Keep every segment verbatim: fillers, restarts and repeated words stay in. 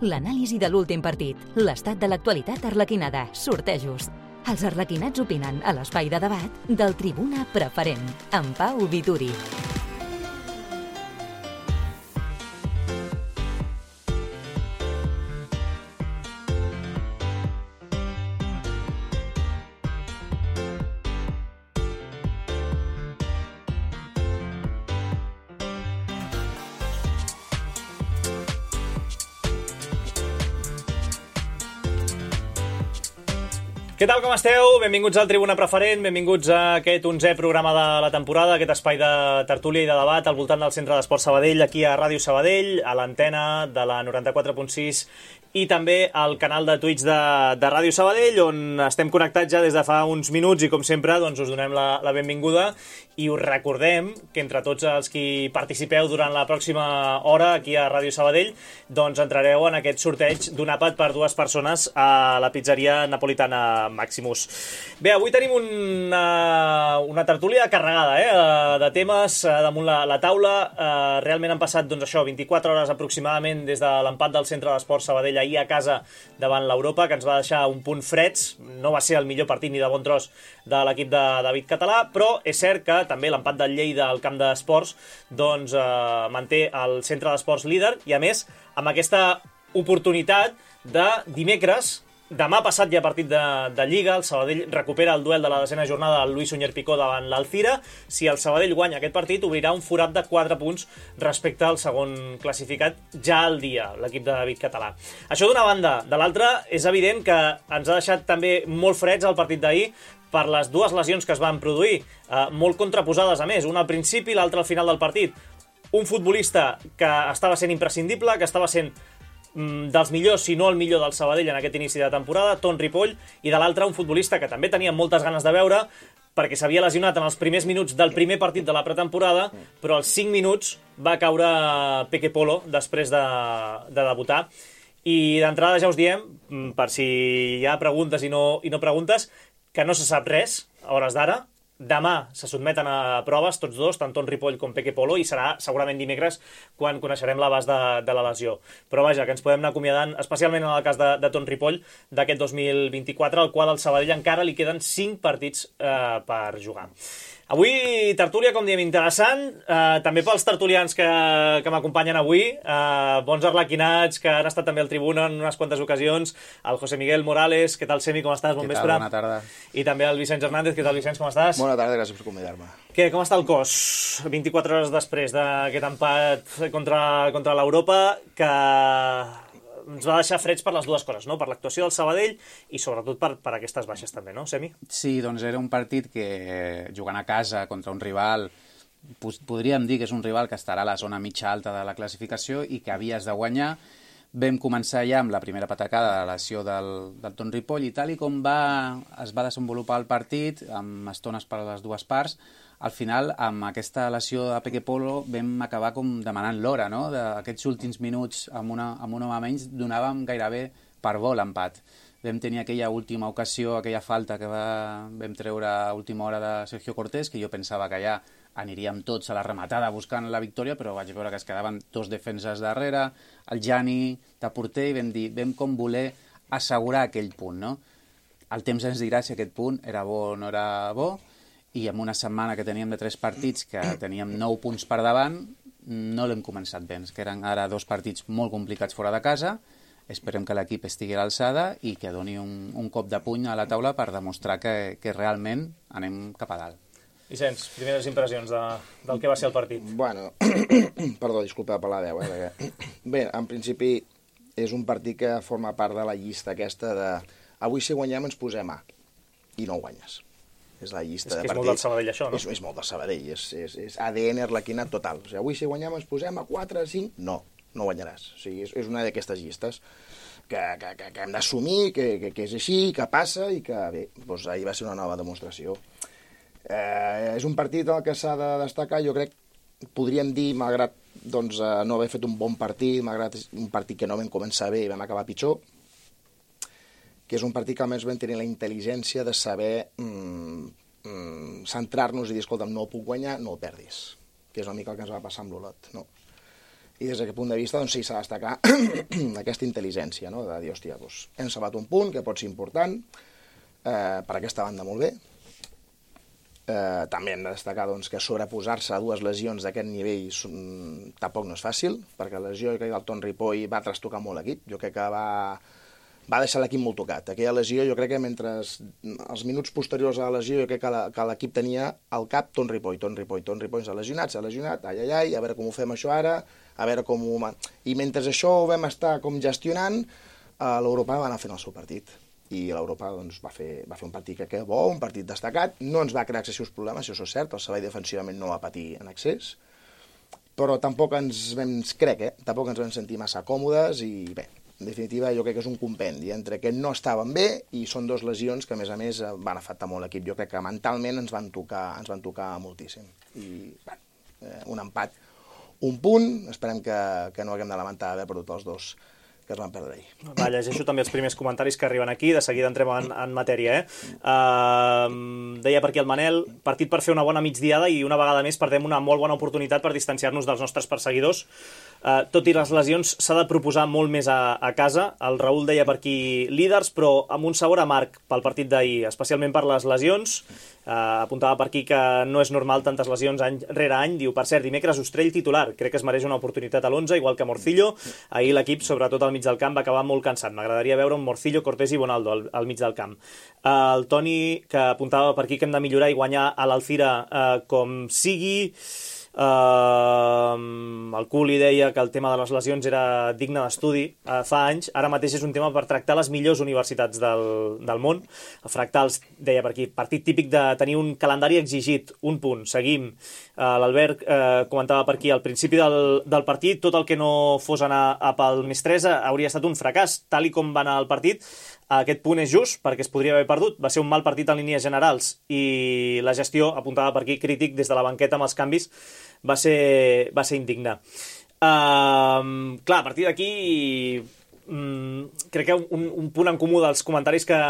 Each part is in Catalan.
L'anàlisi de l'últim partit, l'estat de l'actualitat arlequinada, sortejos. Els arlequinats opinen a l'espai de debat del Tribuna Preferent, amb Pau Vituri. Què tal, com esteu? Benvinguts al Tribuna Preferent, benvinguts a aquest onzè programa de la temporada, aquest espai de tertúlia i de debat al voltant del Centre d'Esports Sabadell, aquí a Ràdio Sabadell, a l'antena de la noranta-quatre punt sis i també al canal de Twitch de, de Ràdio Sabadell, on estem connectats ja des de fa uns minuts i, com sempre, doncs us donem la, la benvinguda i us recordem que entre tots els qui participeu durant la pròxima hora aquí a Ràdio Sabadell, doncs entrareu en aquest sorteig d'un àpat per dues persones a la pizzeria napolitana Maximus. Bé, avui tenim una, una tertúlia carregada eh, de temes damunt la, la taula. Eh, realment han passat doncs, això, vint-i-quatre hores aproximadament des de l'empat del Centre d'Esports Sabadell ahir a casa davant l'Europa, que ens va deixar un punt freds. No va ser el millor partit ni de bon tros de l'equip de David Català, però és cert que també l'empat del Lleida al camp d'esports doncs, eh, manté el Centre d'Esports líder i, a més, amb aquesta oportunitat de dimecres. Demà passat hi ha partit de, de Lliga, el Sabadell recupera el duel de la desena jornada del Luis Suñer Picó davant l'Alcira. Si el Sabadell guanya aquest partit, obrirà un forat de quatre punts respecte al segon classificat ja al dia, l'equip de David Català. Això d'una banda. De l'altra, és evident que ens ha deixat també molt freds el partit d'ahir per les dues lesions que es van produir, eh, molt contraposades a més, una al principi i l'altra al final del partit. Un futbolista que estava sent imprescindible, que estava sent dels millors, si no el millor del Sabadell en aquest inici de temporada, Ton Ripoll, i de l'altre un futbolista que també tenia moltes ganes de veure perquè s'havia lesionat en els primers minuts del primer partit de la pretemporada, però als cinc minuts va caure Peque Polo després de, de debutar. I d'entrada ja us diem, per si hi ha preguntes i no, i no preguntes, que no se sap res a hores d'ara. Demà se sotmeten a proves tots dos, tant Ton Ripoll com Peque Polo, i serà segurament dimecres quan coneixerem l'abast de, de la lesió. Però vaja, que ens podem anar acomiadant, especialment en el cas de, de Ton Ripoll, d'aquest dos mil vint-i-quatre, al qual al Sabadell encara li queden cinc partits eh, per jugar. Avui, tertúlia, com diem, interessant, eh, també pels tertulians que, que m'acompanyen avui, eh, bons arlequinats que han estat també al Tribuna en unes quantes ocasions, el José Miguel Morales. Què tal, Semi, com estàs? Bon Què vespre. tal? Bona tarda. I també el Vicenç Hernández. Què tal, Vicenç, com estàs? Bona tarda, gràcies per convidar-me. Què, com està el cos vint-i-quatre hores després d'aquest empat contra, contra l'Europa, que ens va deixar freds per les dues coses, no? Per l'actuació del Sabadell i sobretot per, per aquestes baixes també, no, Semi? Sí, doncs era un partit que, jugant a casa contra un rival, podríem dir que és un rival que estarà a la zona mitja alta de la classificació i que havies de guanyar. Vam començar ja amb la primera patacada de la lesió del, del Ton Ripoll, i tal i com va, es va desenvolupar el partit, amb estones per a les dues parts, al final, amb aquesta lesió de Peque Polo, vam acabar com demanant l'hora, no? D'aquests últims minuts, amb, una, amb un home menys, donàvem gairebé per bo l'empat. Vam tenir aquella última ocasió, aquella falta que va, vam treure a última hora de Sergio Cortés, que jo pensava que ja aniríem tots a la rematada buscant la victòria, però vaig veure que es quedaven dos defenses darrere, el Jani de porter, i vam dir, vam com voler assegurar aquell punt, no? El temps ens dirà si aquest punt era bo o no era bo, i amb una setmana que teníem de tres partits, que teníem nou punts per davant, no l'hem començat bé, que eren ara dos partits molt complicats fora de casa. Esperem que l'equip estigui a l'alçada i que doni un, un cop de puny a la taula per demostrar que, que realment anem cap a dalt. Vicenç, primeres impressions de, del que va ser el partit. Bueno, perdó, disculpa per la veu. Eh, perquè... Bé, en principi és un partit que forma part de la llista aquesta de avui si guanyem ens posem A i no guanyes. És la llista és de partits. És molt del Sabadell, això, no? És, és molt del Sabadell, és, és, és A D N arlequinat total. O sigui, avui si guanyem ens posem a quatre, cinc... No, no guanyaràs. O sigui, és, és una d'aquestes llistes que, que, que, que hem d'assumir, que, que, que és així, que passa i que, bé, doncs ahir va ser una nova demostració. Eh, és un partit en el que s'ha de destacar, jo crec, podríem dir, malgrat doncs, no haver fet un bon partit, malgrat un partit que no vam començar bé i vam acabar pitjor, que és un partit que almenys vam tenir la intel·ligència de saber mm, mm, centrar-nos i dir, escolta'm, no ho puc guanyar, no ho perdis, que és una mica el que ens va passar amb l'Olot, no? I des d'aquest punt de vista, doncs sí, s'ha de destacar aquesta intel·ligència, no? De dir, hòstia, doncs, hem salvat un punt que pot ser important, eh, per aquesta banda molt bé. Eh, també hem de destacar doncs, que sobreposar-se a dues lesions d'aquest nivell mm, tampoc no és fàcil, perquè la lesió que el Ton Ripoll va trastocar molt l'equip. Jo crec que va, va deixar l'equip molt tocat. Aquella lesió, jo crec que mentre els minuts posteriors a la lesió, jo crec que l'equip tenia al cap Ton Ripoll, Ton Ripoll, Ton Ripoll s'ha lesionat, s'ha lesionat, ai, ai, ai, a veure com ho fem això ara, a veure com ho... I mentre això ho vam estar com gestionant, eh, l'Europa va anar fent el seu partit. I l'Europa doncs, va, fer, va fer un partit que queda bo, un partit destacat, no ens va crear excessius problemes, això és cert, el Sabadell defensivament no va patir en excés, però tampoc ens vam, crec, eh, tampoc ens vam sentir massa còmodes i bé, en definitiva jo crec que és un compendi entre que no estaven bé i són dos lesions que a més a més van afectar molt l'equip. Jo crec que mentalment ens van tocar, ens van tocar moltíssim. I bé, un empat, un punt, esperem que, que no haguem de lamentar haver perdut els dos que es van perdre ahir. Va, llegeixo també els primers comentaris que arriben aquí, de seguida entrem en, en matèria. Eh? Uh, deia per aquí el Manel, partit per fer una bona migdiada i una vegada més perdem una molt bona oportunitat per distanciar-nos dels nostres perseguidors. Uh, tot i les lesions s'ha de proposar molt més a, a casa. El Raül deia per aquí líders, però amb un sabor amarg pel partit d'ahir, especialment per les lesions. Uh, apuntava per aquí que no és normal tantes lesions any rere any. Diu, per cert, dimecres Ostrell titular, crec que es mereix una oportunitat a l'onze, igual que Morcillo. Ahir l'equip, sobretot al mig del camp, va acabar molt cansat. M'agradaria veure un Morcillo, Cortés i Bonaldo al, al mig del camp. Uh, el Toni, que apuntava per aquí que hem de millorar i guanyar a l'Alcira uh, com sigui. Uh, el Culi deia que el tema de les lesions era digne d'estudi uh, fa anys, ara mateix és un tema per tractar les millors universitats del, del món. El Fractals deia per aquí, partit típic de tenir un calendari exigit, un punt, seguim. Uh, L'Albert uh, comentava per aquí, al principi del, del partit, tot el que no fos anar a pel més tres hauria estat un fracàs, tal i com va anar el partit. Aquest punt és just, perquè es podria haver perdut. Va ser un mal partit en línies generals i la gestió, apuntava per aquí, crític des de la banqueta amb els canvis, va ser, va ser indigne. Uh, clar, a partir d'aquí um, crec que un, un punt en comú dels comentaris que,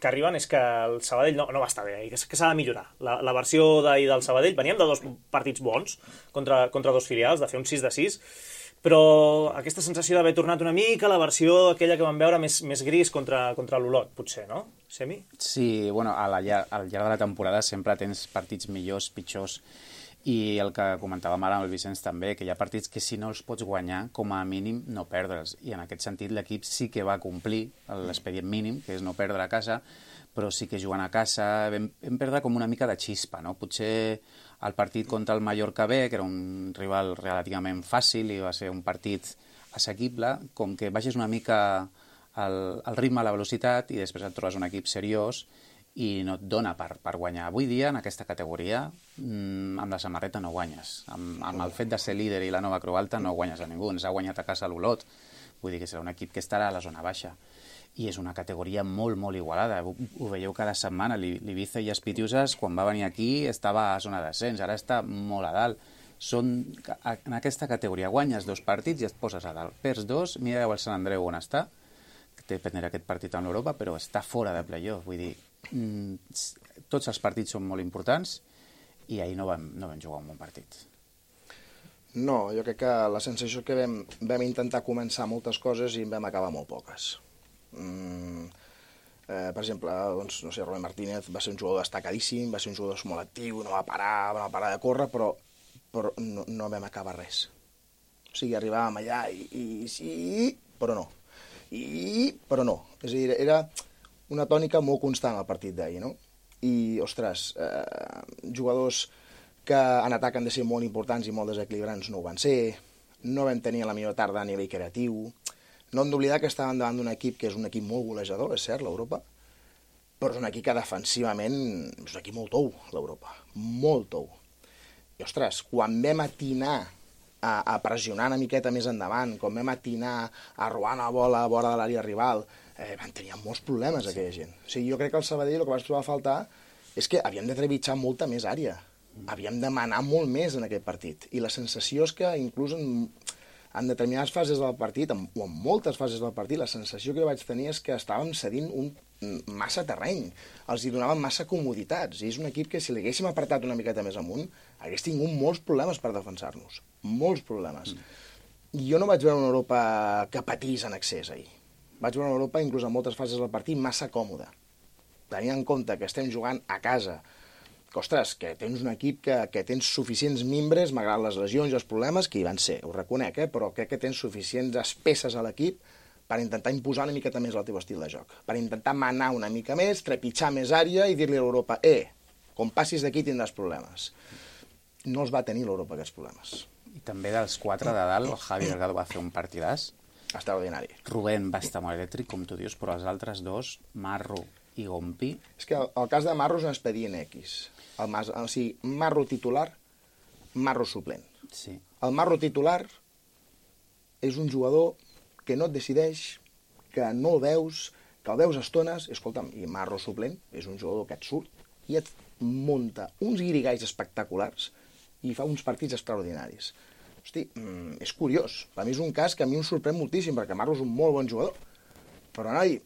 que arriben és que el Sabadell no, no va estar bé i que, que s'ha de millorar. La, la versió d'ahir del Sabadell, veníem de dos partits bons contra, contra dos filials, de fer un sis de sis, però aquesta sensació d'haver tornat una mica a la versió aquella que vam veure més, més gris contra, contra l'Olot, potser, no? Semi? Sí, bueno, a la, al llarg de la temporada sempre tens partits millors, pitjors, i el que comentàvem ara amb el Vicenç també, que hi ha partits que si no els pots guanyar, com a mínim no perdre'ls, i en aquest sentit l'equip sí que va complir l'expedient mínim, que és no perdre a casa, però sí que jugant a casa vam, vam perdre com una mica de xispa, no? Potser el partit contra el Mallorca B, que era un rival relativament fàcil i va ser un partit assequible, com que baixes una mica el, el ritme, la velocitat, i després et trobes un equip seriós i no et dona per, per guanyar. Avui dia, en aquesta categoria, mmm, amb la samarreta no guanyes. Amb, amb el fet de ser líder i la nova Creu Alta no guanyes a ningú. Ens ha guanyat a casa l'Olot. Vull dir que serà un equip que estarà a la zona baixa. I és una categoria molt, molt igualada. Ho, ho veieu cada setmana. L'Ibiza i Espitiusas, quan va venir aquí, estava a zona d'ascens. Ara està molt a dalt. Són, en aquesta categoria guanyes dos partits i et poses a dalt. Perds dos, mira el Sant Andreu on està, que té pendent aquest partit amb l'Europa, però està fora de playoff. Vull dir, mmm, tots els partits són molt importants i ahir no vam, no vam jugar un bon partit. No, jo crec que la sensació que vam, vam intentar començar moltes coses i en vam acabar molt poques. Mm, eh, per exemple, doncs, no sé, Robert Martínez va ser un jugador destacadíssim, va ser un jugador molt actiu, no va parar, no va parar de córrer, però, però no, no vam acabar res. O sigui, arribàvem allà i, i sí, però no. I, però no. És a dir, era una tònica molt constant al partit d'ahir, no? I, ostres, eh, jugadors que en atac han de ser molt importants i molt desequilibrants no ho van ser, no vam tenir la millor tarda a nivell creatiu. No hem d'oblidar que estàvem davant d'un equip que és un equip molt golejador, és cert, l'Europa, però és un equip que defensivament és un equip molt tou, l'Europa, molt tou. I, ostres, quan vam atinar a, a pressionar una miqueta més endavant, quan vam atinar a robar una bola a vora de l'àrea rival, eh, van tenir molts problemes aquella gent. O sigui, jo crec que el Sabadell el que vaig trobar a faltar és que havíem de trepitjar molta més àrea, havíem de manar molt més en aquest partit. I la sensació és que inclús en, en determinades fases del partit, en, o en moltes fases del partit, la sensació que jo vaig tenir és que estàvem cedint un, massa terreny, els hi donaven massa comoditats, i és un equip que si l'haguéssim apretat una miqueta més amunt, hagués tingut molts problemes per defensar-nos, molts problemes. Mm. jo no vaig veure una Europa que patís en excés ahir. Vaig veure una Europa, inclús en moltes fases del partit, massa còmoda. Tenint en compte que estem jugant a casa, que, ostres, que tens un equip que, que tens suficients mimbres, malgrat les lesions i els problemes, que hi van ser, ho reconec, eh? Però crec que tens suficients peces a l'equip per intentar imposar una miqueta més el teu estil de joc, per intentar manar una mica més, trepitjar més àrea i dir-li a l'Europa, eh, com passis d'aquí tindràs problemes. No els va tenir l'Europa aquests problemes. I també dels quatre de dalt, el Javi Delgado va fer un partidàs. Extraordinari. Rubén va estar molt elèctric, com tu dius, però els altres dos, Marro i Gompi... És que el, el cas de Marro és un expedient X. El, o sigui, Marro titular, Marro suplent. Sí. El Marro titular és un jugador que no et decideix, que no el veus, que el veus a estones, escolta'm, i Marro suplent és un jugador que et surt i et munta uns guirigais espectaculars i fa uns partits extraordinaris. Hosti, mm, és curiós. Per mi és un cas que a mi em sorprèn moltíssim, perquè Marro és un molt bon jugador. Però, noi,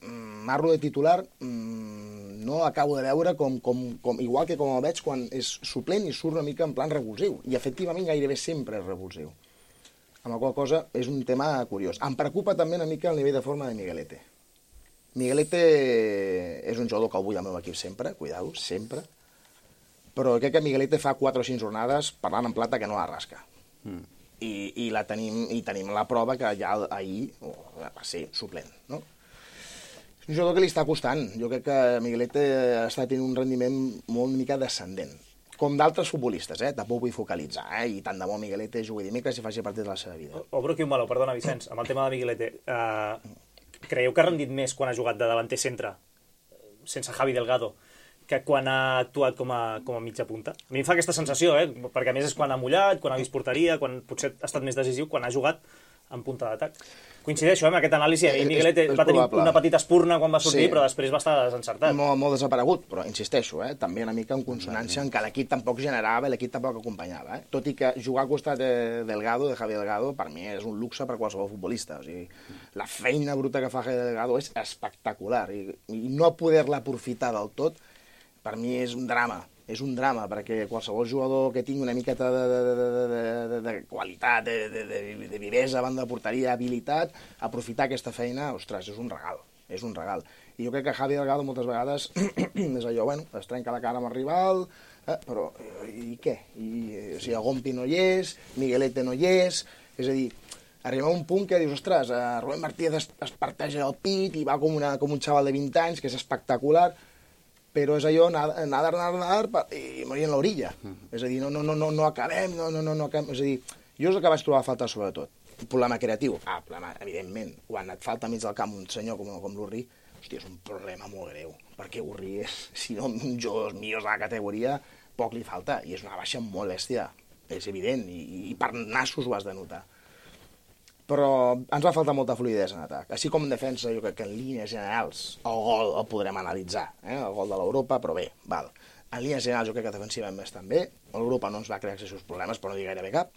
Marro de titular mm, no acabo de veure com, com, com, igual que com el veig quan és suplent i surt una mica en plan revulsiu. I, efectivament, gairebé sempre és revulsiu. Amb la qual cosa és un tema curiós. Em preocupa també una mica el nivell de forma de Miguelete. Miguelete és un jugador que el vull al meu equip sempre, cuidado, sempre, però crec que Miguelete fa quatre o cinc jornades parlant en plata que no la rasca. Mm. I, i, la tenim, i tenim la prova que ja ahir oh, va ser suplent, no? És un jugador que li està costant. Jo crec que Miguelete està tenint un rendiment molt una mica descendent. Com d'altres futbolistes, eh? Tampoc vull focalitzar, eh? I tant de bo Miguelete jugui dimecres i faci partit de la seva vida. Obro aquí un meló, perdona, Vicenç, amb el tema de Miguelete. Uh, creieu que ha rendit més quan ha jugat de davanter centre, sense Javi Delgado, que quan ha actuat com a, com a mitja punta? A mi em fa aquesta sensació, eh? Perquè a més és quan ha mullat, quan ha vist porteria, quan potser ha estat més decisiu, quan ha jugat en punta d'atac. Coincideixo, eh, amb aquest anàlisi. I Miguelete va tenir una petita espurna quan va sortir, sí, però després va estar desencertat. Molt, molt desaparegut, però insisteixo, eh, també una mica en consonància en què l'equip tampoc generava i l'equip tampoc acompanyava. Eh? Tot i que jugar al costat de Delgado, de Javi Delgado, per mi és un luxe per qualsevol futbolista. O sigui, la feina bruta que fa Javi Delgado és espectacular i, i no poder-la aprofitar del tot, per mi és un drama. És un drama, perquè qualsevol jugador que tingui una miqueta de, de, de, de, de, de qualitat, de, de, de, de vivesa, banda de porteria, habilitat, aprofitar aquesta feina, ostres, és un regal, és un regal. I jo crec que Javi Delgado moltes vegades és allò, bueno, es trenca la cara amb el rival, eh, però i què? I, o sigui, Gompi no hi és, Miguelete no hi és, és a dir, arriba a un punt que dius, ostres, Rubén Martínez es, es parteja el pit i va com, una, com un xaval de vint anys, que és espectacular, però és allò, nadar, nadar, nadar i morir en l'orilla. Uh -huh. És a dir, no, no, no, no, no acabem, no, no, no, no acabem. És a dir, jo és el que vaig trobar a faltar sobretot. Un problema creatiu. Ah, problema, evidentment. Quan et falta mig del camp un senyor com, com l'Urri, hòstia, és un problema molt greu. Perquè Urri és, si no, un jugador millors de la categoria, poc li falta. I és una baixa molt bèstia. És evident. I, i per nassos ho has de notar. Però ens va faltar molta fluidesa en atac. Així com en defensa, jo crec que en línies generals el gol el podrem analitzar, eh? El gol de l'Europa, però bé, val. En línies generals jo crec que defensivament estan bé. L'Europa no ens va crear excessius problemes, però no dir gairebé cap.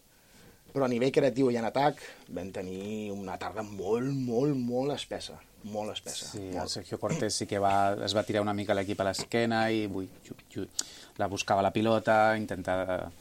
Però a nivell creatiu i en atac vam tenir una tarda molt, molt, molt espessa. Molt espessa. Sí, molt. El Sergio Cortés sí que va, es va tirar una mica l'equip a l'esquena i ui, ui, la buscava la pilota, intentava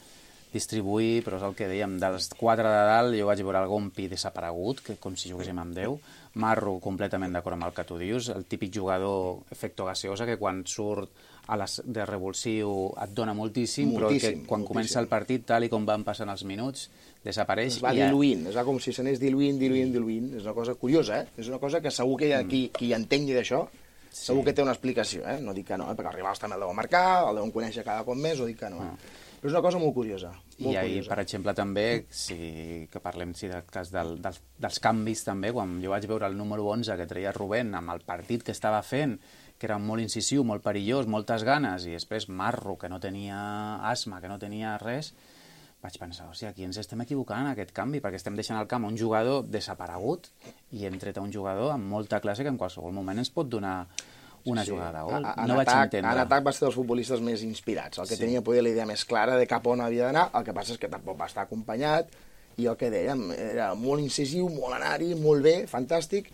distribuir, però és el que dèiem, dels quatre de dalt jo vaig veure el Gompi desaparegut, que com si juguéssim amb Déu, Marro completament d'acord amb el que tu dius, el típic jugador efecto gaseosa que quan surt a les, de revulsiu et dona moltíssim, moltíssim però que quan moltíssim. Comença el partit, tal i com van passant els minuts, desapareix. Es va i diluint, es va com si s'anés diluint, diluint, diluint. És una cosa curiosa, eh? És una cosa que segur que hi ha qui, qui entengui d'això, sí. Segur que té una explicació, eh? No dic que no, eh? Perquè els rivals també el deuen marcar, el deuen conèixer cada cop més, o dic que no. Eh? Però és una cosa molt curiosa. Molt I ahir, curiosa. per exemple, també, si que parlem sí, del cas del, dels, dels canvis, també, quan jo vaig veure el número onze que treia Rubén amb el partit que estava fent, que era molt incisiu, molt perillós, moltes ganes, i després Marro, que no tenia asma, que no tenia res, vaig pensar, o sigui, aquí ens estem equivocant en aquest canvi, perquè estem deixant al camp un jugador desaparegut i hem tret a un jugador amb molta classe que en qualsevol moment ens pot donar una sí. jugada de gol. A, no vaig atac, entendre. En atac va ser dels futbolistes més inspirats, el que sí. tenia poder la idea més clara de cap on havia d'anar, el que passa és que tampoc va estar acompanyat, i el que dèiem, era molt incisiu, molt anar-hi, molt bé, fantàstic,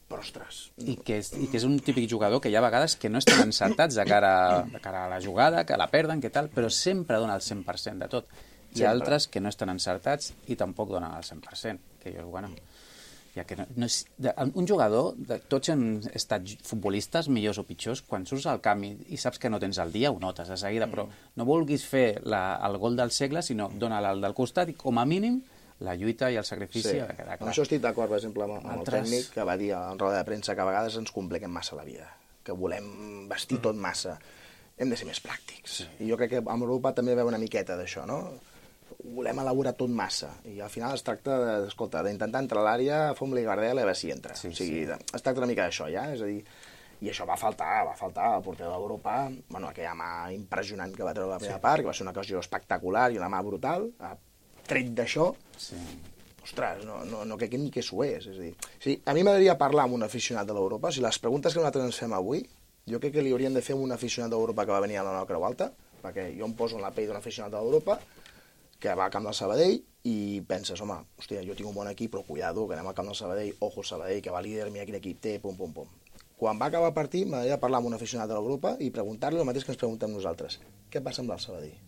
però ostres... I que, és, I que és un típic jugador que hi ha vegades que no estan encertats de cara, de cara a la jugada, que la perden, que tal, però sempre dona el cent per cent de tot. Hi ha altres que no estan encertats i tampoc donen el cent per cent, que jo, bueno... Ja que no, no és, de, un jugador, de, tots hem estat futbolistes, millors o pitjors, quan surts al camp i, i saps que no tens el dia, ho notes de seguida, però no vulguis fer la, el gol del segle, sinó dona-la al del costat i, com a mínim, la lluita i el sacrifici sí. ha de quedar clar. Amb això estic d'acord, per exemple, amb, amb Altres... el tècnic que va dir en roda de premsa que a vegades ens compliquem massa la vida, que volem vestir mm. tot massa. Hem de ser més pràctics. Sí. I jo crec que amb Europa també veu una miqueta d'això, no? Volem elaborar tot massa, i al final es tracta d'escolta, d'intentar entrar a l'àrea, fom-li gardel i a veure si entra. Sí, o sigui, sí. Es tracta una mica d'això, ja? És a dir, i això va faltar, va faltar el porter d'Europa, bueno, aquella mà impressionant que va treure la primera sí. part, que va ser una ocasió espectacular i una mà brutal, tret d'això, sí. ostres, no, no, no crec ni que s'ho és. És a dir, sí, a mi m'agradaria parlar amb un aficionat de l'Europa, si les preguntes que nosaltres ens fem avui, jo crec que li haurien de fer un aficionat d'Europa que va venir a la nova Creu Alta, perquè jo em poso en la pell d'un aficionat d'Europa, que va al camp del Sabadell i penses, home, hòstia, jo tinc un bon equip, però cuidado, que anem al camp del Sabadell, ojo el Sabadell, que va líder, mira quin equip té, pum, pum, pum. Quan va acabar el partit, m'agradaria parlar amb un aficionat de l'Europa i preguntar-li el mateix que ens preguntem nosaltres. Què passa amb el Sabadell?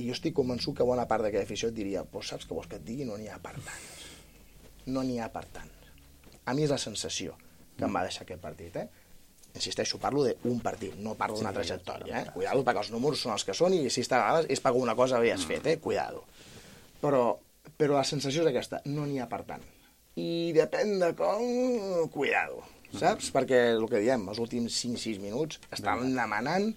I jo estic convençut que bona part d'aquella afició et diria, pues saps què vols que et digui? No n'hi ha per tant. No n'hi ha per tant. A mi és la sensació que em va deixar aquest partit, eh? Insisteixo, parlo d'un partit, no parlo d'una sí, trajectòria, eh? Cuidado, perquè els números són els que són i si està a vegades és per una cosa que havies fet, eh? Cuidado. Però, però la sensació és aquesta, no n'hi ha per tant. I depèn de com... Cuidado, saps? Perquè el que diem, els últims cinc sis minuts estan demanant,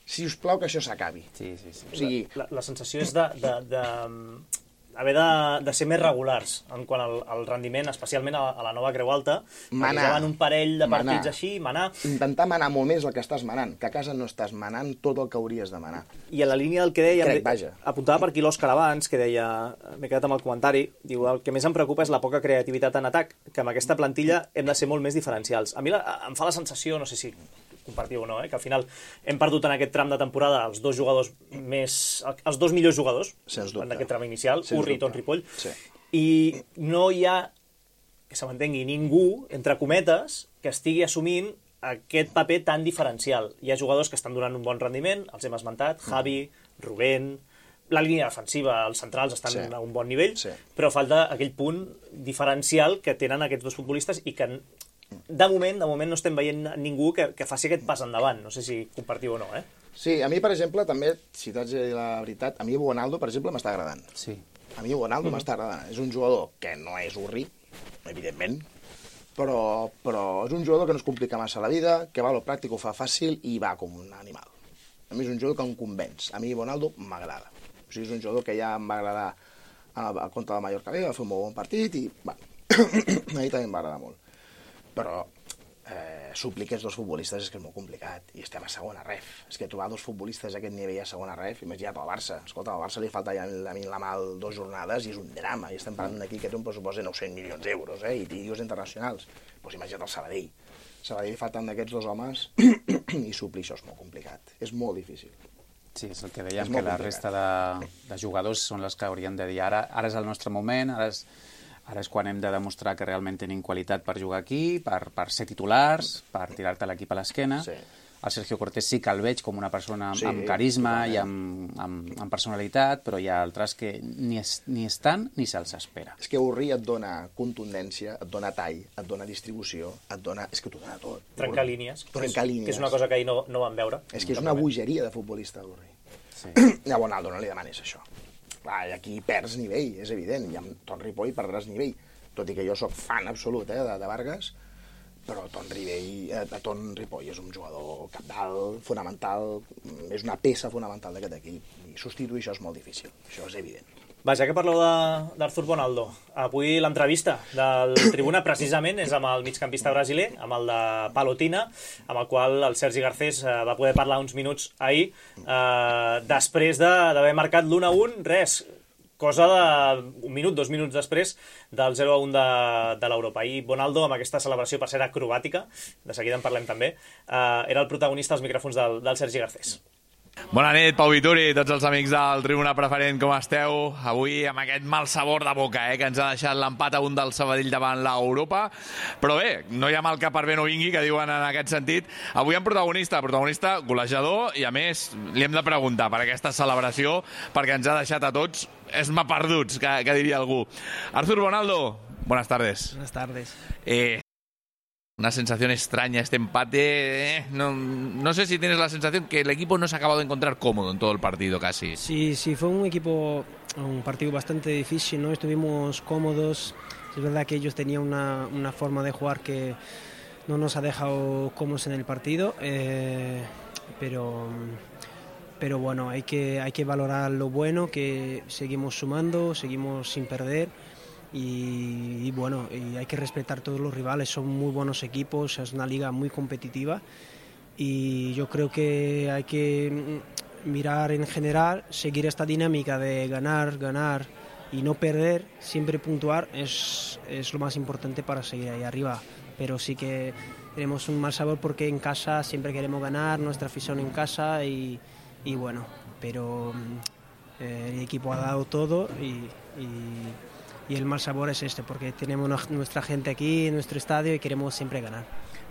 si us plau, que això s'acabi. Sí, sí, sí. O sigui... La, la, la sensació és de... de, de... haver de, de ser més regulars en quant al, al rendiment, especialment a, a la nova Creu Alta, manar, perquè un parell de partits manar. així, manar... Intentar manar molt més el que estàs manant, que a casa no estàs manant tot el que hauries de manar. I en la línia del que deia, Crec, vaja. apuntava per aquí l'Òscar abans, que deia, m'he quedat amb el comentari, diu, el que més em preocupa és la poca creativitat en atac, que amb aquesta plantilla hem de ser molt més diferencials. A mi la, em fa la sensació, no sé si compartiu o no, eh? Que al final hem perdut en aquest tram de temporada els dos jugadors més... els dos millors jugadors en aquest tram inicial, Sens Urri i Ton Ripoll, sí. I no hi ha, que se m'entengui, ningú, entre cometes, que estigui assumint aquest paper tan diferencial. Hi ha jugadors que estan donant un bon rendiment, els hem esmentat, Javi, Rubén, la línia defensiva, els centrals estan sí. a un bon nivell, sí. però falta aquell punt diferencial que tenen aquests dos futbolistes i que... De moment, de moment no estem veient ningú que, que faci aquest pas endavant. No sé si compartiu o no, eh? Sí, a mi, per exemple, també, si t'haig de dir la veritat, a mi Bonaldo, per exemple, m'està agradant. Sí. A mi Bonaldo mm-hmm. m'està agradant. És un jugador que no és Urri, evidentment, però, però és un jugador que no es complica massa la vida, que va a lo pràctic, ho fa fàcil i va com un animal. A mi és un jugador que em convenç. A mi Bonaldo m'agrada. O sigui, és un jugador que ja em va agradar al contra del Mallorca B, va fer un molt bon partit i, bueno, a mi també em va agradar molt. Però eh, suplir aquests dos futbolistes és que és molt complicat i estem a segona ref. És que trobar dos futbolistes a aquest nivell a segona ref, imagina't al Barça. Escolta, al Barça li falta ja a mi la mà dues jornades i és un drama. I estem parlant d'aquí que té un pressupost de nou-cents milions d'euros, eh? I dius internacionals. Doncs pues imagina't el Sabadell. Sabadell li falten d'aquests dos homes i suplir això és molt complicat. És molt difícil. Sí, és el que dèiem, que la resta de, de jugadors són les que haurien de dir ara, ara és el nostre moment, ara és... Ara és quan hem de demostrar que realment tenim qualitat per jugar aquí, per, per ser titulars, per tirar-te l'equip a l'esquena. Sí. El Sergio Cortés sí que el veig com una persona sí, amb carisma totalment. i amb, amb, amb personalitat, però hi ha altres que ni, es, ni estan ni se'ls espera. És que Urri et dona contundència, et dona tall, et dona distribució, et dona... És que t'ho dona tot. Trencar línies, Trencar que, és, línies. que és una cosa que ahir no, no vam veure. És que és una bogeria de futbolista, Urri. Sí. I a Bonaldo no li demanis això. Clar, aquí perds nivell, és evident, i amb Ton Ripoll perdràs nivell. Tot i que jo sóc fan absolut eh, de, de Vargas, però Ton, Rivell, eh, Ton Ripoll és un jugador cabdal, fonamental, és una peça fonamental d'aquest equip, i substituir això és molt difícil, això és evident. Va, ja que parleu d'Arthur Bonaldo, avui l'entrevista del Tribuna precisament és amb el migcampista brasiler, amb el de Palotina, amb el qual el Sergi Garcés eh, va poder parlar uns minuts ahir, eh, després d'haver marcat l'u a un, res, cosa d'un minut, dos minuts després del zero a un de, de l'Europa. I Bonaldo, amb aquesta celebració, per ser acrobàtica, de seguida en parlem també, eh, era el protagonista als micròfons del, del Sergi Garcés. Bona nit, Pau Vituri, tots els amics del Tribuna Preferent, com esteu? Avui amb aquest mal sabor de boca, eh, que ens ha deixat l'empat a un del Sabadell davant l'Europa. Però bé, no hi ha mal que per bé no vingui, que diuen en aquest sentit. Avui amb protagonista, protagonista golejador, i a més li hem de preguntar per aquesta celebració, perquè ens ha deixat a tots esmaperduts, que, que diria algú. Artur Bonaldo, buenas tardes. Buenas tardes. Eh... Una sensación extraña este empate. Eh, no, no sé si tienes la sensación que el equipo no se ha acabado de encontrar cómodo en todo el partido casi. Sí, sí, fue un equipo, un partido bastante difícil, ¿no? Estuvimos cómodos. Es verdad que ellos tenían una, una forma de jugar que no nos ha dejado cómodos en el partido, eh, pero, pero bueno, hay que, hay que valorar lo bueno, que seguimos sumando, seguimos sin perder. Y, y bueno, y hay que respetar todos los rivales, son muy buenos equipos, es una liga muy competitiva y yo creo que hay que mirar en general, seguir esta dinámica de ganar, ganar y no perder, siempre puntuar es, es lo más importante para seguir ahí arriba, pero sí que tenemos un mal sabor porque en casa siempre queremos ganar, nuestra afición en casa y, y bueno, pero eh, el equipo ha dado todo y, y Y el mal sabor es este, porque tenemos nuestra gente aquí en nuestro estadio y queremos siempre ganar.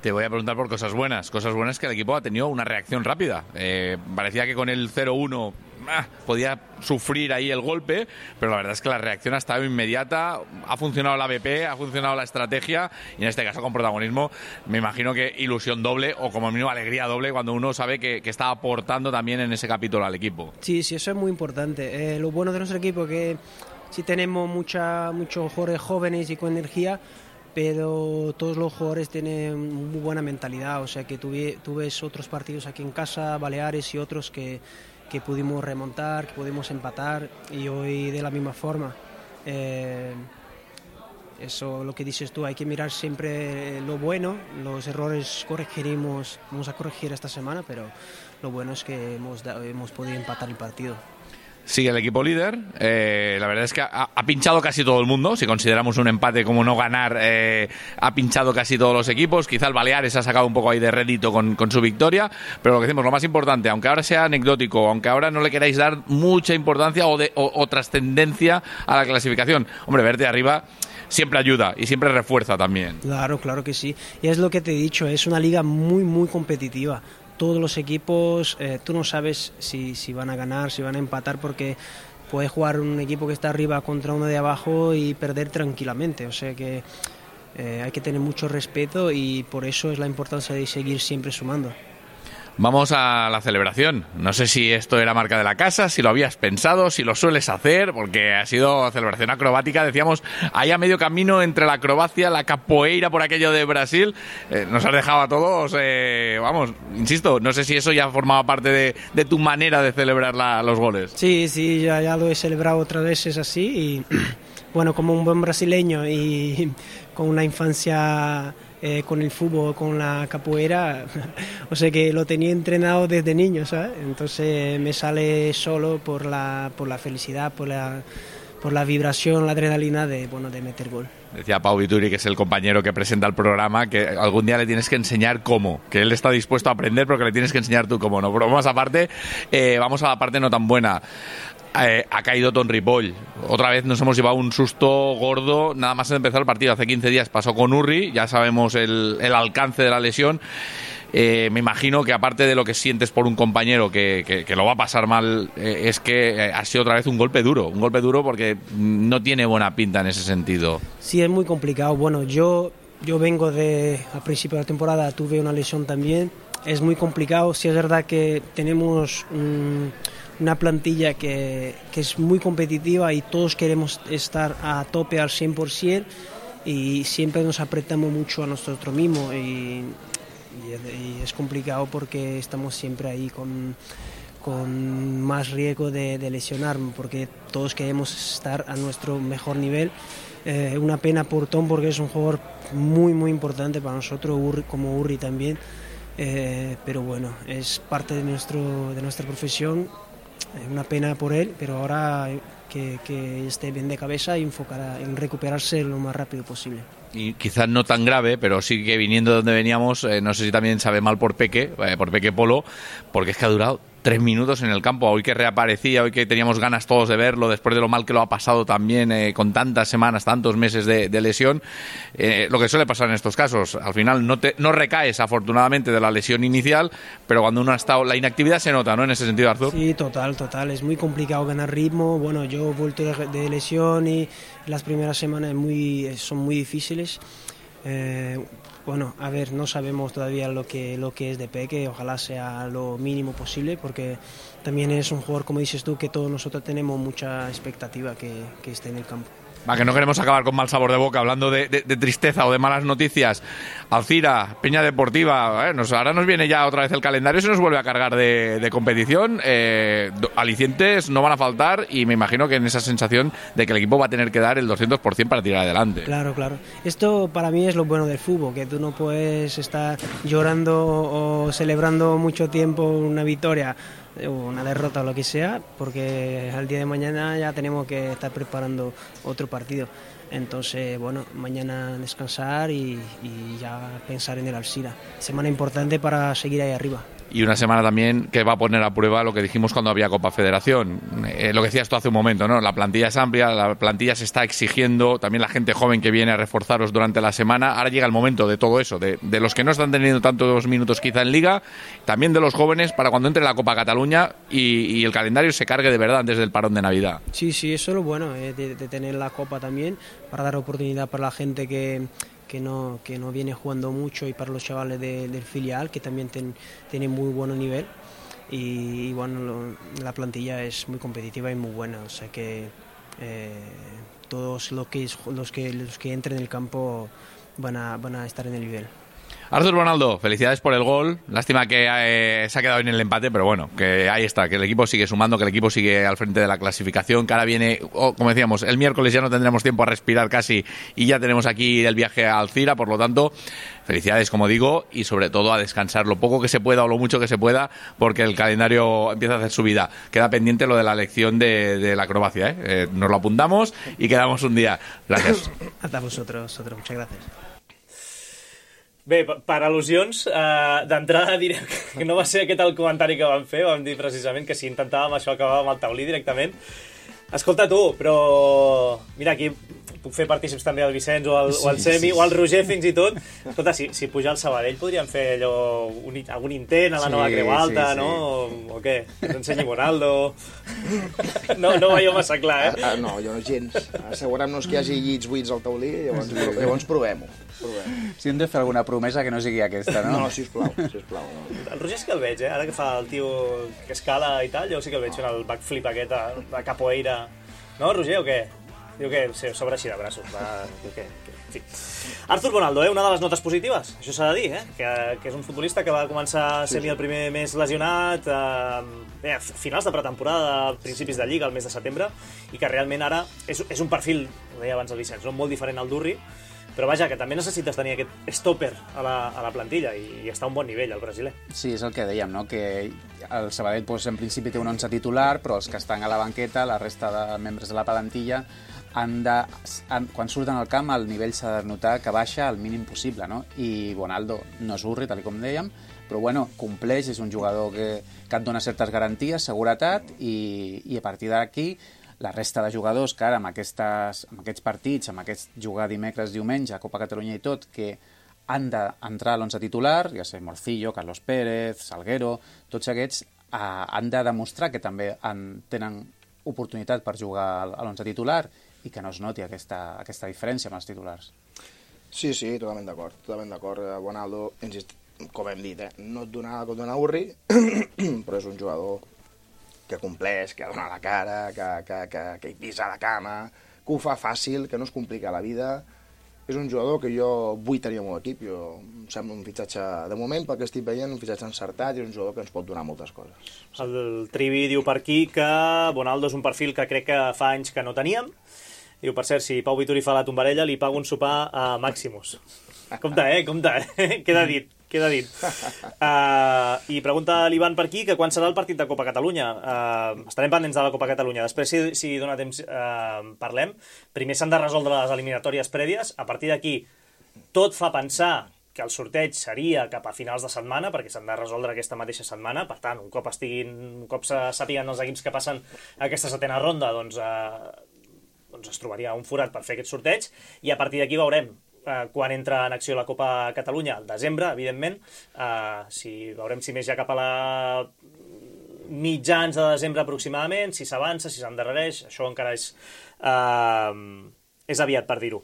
Te voy a preguntar por cosas buenas. Cosas buenas que el equipo ha tenido una reacción rápida. Eh, parecía que con el cero uno ah, podía sufrir ahí el golpe, pero la verdad es que la reacción ha estado inmediata. Ha funcionado la B P, ha funcionado la estrategia y en este caso con protagonismo me imagino que ilusión doble o como mínimo alegría doble cuando uno sabe que, que está aportando también en ese capítulo al equipo. Sí, sí, eso es muy importante. Eh, lo bueno de nuestro equipo es que sí tenemos mucha, muchos jugadores jóvenes y con energía, pero todos los jugadores tienen muy buena mentalidad, o sea que tú, tú ves otros partidos aquí en casa, Baleares y otros que, que pudimos remontar, que pudimos empatar y hoy de la misma forma. Eh, eso lo que dices tú, hay que mirar siempre lo bueno, los errores corregiremos, vamos a corregir esta semana, pero lo bueno es que hemos, hemos podido empatar el partido. Sigue el equipo líder, eh, la verdad es que ha, ha pinchado casi todo el mundo, si consideramos un empate como no ganar, eh, ha pinchado casi todos los equipos, quizá el Baleares ha sacado un poco ahí de rédito con, con su victoria, pero lo que decimos, lo más importante, aunque ahora sea anecdótico, aunque ahora no le queráis dar mucha importancia o, de, o, o trascendencia a la clasificación, hombre, verte arriba siempre ayuda y siempre refuerza también. Claro, claro que sí, y es lo que te he dicho, es una liga muy, muy competitiva. Todos los equipos, eh, tú no sabes si, si van a ganar, si van a empatar, porque puede jugar un equipo que está arriba contra uno de abajo y perder tranquilamente. O sea que eh, hay que tener mucho respeto y por eso es la importancia de seguir siempre sumando. Vamos a la celebración. No sé si esto era marca de la casa, si lo habías pensado, si lo sueles hacer, porque ha sido celebración acrobática, decíamos, ahí a medio camino entre la acrobacia, la capoeira por aquello de Brasil. Eh, nos has dejado a todos, eh, vamos, insisto, no sé si eso ya formaba parte de, de tu manera de celebrar la, los goles. Sí, sí, ya, ya lo he celebrado otras veces así y bueno, como un buen brasileño y con una infancia Eh, con el fútbol, con la capoeira, o sea que lo tenía entrenado desde niño, ¿sabes? Entonces me sale solo por la, por la felicidad, por la, por la vibración, la adrenalina de, bueno, de meter gol. Decía Pau Vituri, que es el compañero que presenta el programa, que algún día le tienes que enseñar cómo, que él está dispuesto a aprender, pero que le tienes que enseñar tú cómo, ¿no? Pero vamos aparte, eh, vamos a la parte no tan buena. Eh, ha caído Ton Ripoll. Otra vez nos hemos llevado un susto gordo nada más empezar el partido. Hace quince días pasó con Urri, ya sabemos el, el alcance de la lesión. Eh, me imagino que aparte de lo que sientes por un compañero que, que, que lo va a pasar mal, eh, es que eh, ha sido otra vez un golpe duro, un golpe duro porque no tiene buena pinta en ese sentido. Sí, es muy complicado. Bueno, yo, yo vengo de, al principio de la temporada tuve una lesión también, es muy complicado. Sí es verdad que tenemos un, una plantilla que, que es muy competitiva y todos queremos estar a tope al cien por ciento y siempre nos apretamos mucho a nosotros mismos y, y, y es complicado porque estamos siempre ahí con, con más riesgo de, de lesionarme porque todos queremos estar a nuestro mejor nivel. Eh, una pena por Tom porque es un jugador muy muy importante para nosotros, Urri, como Urri también, eh, pero bueno, es parte de, nuestro, de nuestra profesión. Una pena por él, pero ahora que, que esté bien de cabeza y enfocar en recuperarse lo más rápido posible. Y quizás no tan grave, pero sí que viniendo de donde veníamos, eh, no sé si también sabe mal por Peque, eh, por Peque Polo, porque es que ha durado tres minutos en el campo, hoy que reaparecía, hoy que teníamos ganas todos de verlo, después de lo mal que lo ha pasado también, eh, con tantas semanas, tantos meses de, de lesión, eh, lo que suele pasar en estos casos, al final no, te, no recaes afortunadamente de la lesión inicial, pero cuando uno ha estado, la inactividad se nota, ¿no? En ese sentido, Artur. Sí, total, total, es muy complicado ganar ritmo, bueno, yo he vuelto de, de lesión y las primeras semanas muy, son muy difíciles. Eh, Bueno, a ver, no sabemos todavía lo que, lo que es de Peque, ojalá sea lo mínimo posible, porque también es un jugador, como dices tú, que todos nosotros tenemos mucha expectativa que, que esté en el campo. Va, que no queremos acabar con mal sabor de boca, hablando de, de, de tristeza o de malas noticias. Alcira, Peña Deportiva, eh, nos, ahora nos viene ya otra vez el calendario, se nos vuelve a cargar de, de competición, eh, alicientes no van a faltar y me imagino que en esa sensación de que el equipo va a tener que dar el doscientos por ciento para tirar adelante. Claro, claro. Esto para mí es lo bueno del fútbol, que tú no puedes estar llorando o celebrando mucho tiempo una victoria, una derrota o lo que sea, porque al día de mañana ya tenemos que estar preparando otro partido. Entonces, bueno, mañana descansar y, y ya pensar en el Alcira. Semana importante para seguir ahí arriba. Y una semana también que va a poner a prueba lo que dijimos cuando había Copa Federación. Eh, lo que decías tú hace un momento, ¿no? La plantilla es amplia, la plantilla se está exigiendo, también la gente joven que viene a reforzaros durante la semana. Ahora llega el momento de todo eso, de, de los que no están teniendo tantos minutos quizá en Liga, también de los jóvenes para cuando entre la Copa Cataluña y, y el calendario se cargue de verdad antes del parón de Navidad. Sí, sí, eso es lo bueno, eh, de, de tener la Copa también, para dar oportunidad para la gente que... que no, que no viene jugando mucho y para los chavales de, del filial que también ten, tienen muy buen nivel y, y bueno, lo, la plantilla es muy competitiva y muy buena, o sea que eh, todos los que, los, que, los que entren en el campo van a, van a estar en el nivel. Artur Bonaldo, felicidades por el gol. Lástima que eh, se ha quedado en el empate, pero bueno, que ahí está, que el equipo sigue sumando, que el equipo sigue al frente de la clasificación, que ahora viene, oh, como decíamos, el miércoles ya no tendremos tiempo a respirar casi y ya tenemos aquí el viaje a Alcira, por lo tanto, felicidades, como digo, y sobre todo a descansar lo poco que se pueda o lo mucho que se pueda, porque el calendario empieza a hacer su vida. Queda pendiente lo de la lección de, de la acrobacia, ¿eh? Eh, nos lo apuntamos y quedamos un día. Gracias. Hasta vosotros, vosotros. Muchas gracias. Bé, per al·lusions, eh, d'entrada direm que no va ser aquest el comentari que vam fer, vam dir precisament que si intentàvem això acabàvem al taulí directament. Escolta tu, però mira, aquí puc fer partícips també el Vicenç o el, sí, o el Semi sí, sí. o el Roger fins i tot. Escolta, si, si puja al Sabadell podríem fer allò, un, algun intent a la sí, nova Creu Alta, sí, sí. no? O, o què? Que ens ensenyi Bonaldo. No, no ho veieu massa clar, eh? Ah, no, jo no gens. Assegurem-nos que hi hagi llits buits al taulí i llavors, sí. llavors provem-ho. Provem. Si hem de fer alguna promesa que no sigui aquesta, no? No, sisplau, sisplau. No. El Roger sí que el veig, eh? Ara que fa el tio que escala i tal, jo sí que el veig fent el backflip aquest de capoeira. No, Roger, o què? Diu que sí, s'obre així de braços. Va, diu que, que... En fi. Artur Bonaldo, eh? Una de les notes positives, això s'ha de dir, eh? que, que és un futbolista que va començar sent sí, sí. el primer mes lesionat, eh, bé, a finals de pretemporada, principis de Lliga, el mes de setembre, i que realment ara és, és un perfil, ho deia abans el Vicenç, no? molt diferent al d'Urri, però vaja, que també necessites tenir aquest stopper a la, a la plantilla i, i està a un bon nivell, el brasiler. Sí, és el que dèiem, no? Que el Sabadell pues, en principi té un onze titular, però els que estan a la banqueta, la resta de membres de la plantilla, han de, han, quan surten al camp el nivell s'ha de notar que baixa al mínim possible, no? I Bonaldo no és Urri, tal com dèiem, però bueno, compleix, és un jugador que, que et dona certes garanties, seguretat, i, i a partir d'aquí la resta de jugadors que ara amb, aquestes, amb aquests partits, amb aquest jugar dimecres, diumenge, Copa Catalunya i tot, que han d'entrar a l'onze titular, ja sé, Morcillo, Carlos Pérez, Salguero, tots aquests eh, han de demostrar que també han, tenen oportunitat per jugar a l'onze titular i que no es noti aquesta, aquesta diferència amb els titulars. Sí, sí, totalment d'acord, totalment d'acord. Bonaldo, com hem dit, eh, no et dona com dona Urri, però és un jugador que compleix, que dona la cara, que, que, que, que hi pisa la cama, que ho fa fàcil, que no es complica la vida. És un jugador que jo vull tenir al meu equip. Jo, em sembla un fitxatge, de moment, pel que estic veient, un fitxatge encertat i és un jugador que ens pot donar moltes coses. El Trivi diu per aquí que Bonaldo és un perfil que crec que fa anys que no teníem. Diu, per cert, si Pau Vituri fa la tombarella, li pago un sopar a Maximus. Compte, eh? Compte, eh? Queda dit. Queda dit. Uh, I pregunta l'Ivan per aquí que quan serà el partit de Copa Catalunya. Uh, estarem pendents de la Copa Catalunya. Després, si, si dona temps, uh, parlem. Primer s'han de resoldre les eliminatòries prèvies. A partir d'aquí, tot fa pensar que el sorteig seria cap a finals de setmana, perquè s'han de resoldre aquesta mateixa setmana. Per tant, un cop estiguin, un cop se sàpiguen els equips que passen a aquesta setena ronda, doncs, eh, doncs es trobaria un forat per fer aquest sorteig, i a partir d'aquí veurem eh, quan entra en acció la Copa Catalunya, al desembre, evidentment, eh, si veurem si més ja cap a la mitjans de desembre aproximadament, si s'avança, si s'endarrereix, això encara és, eh, és aviat per dir-ho.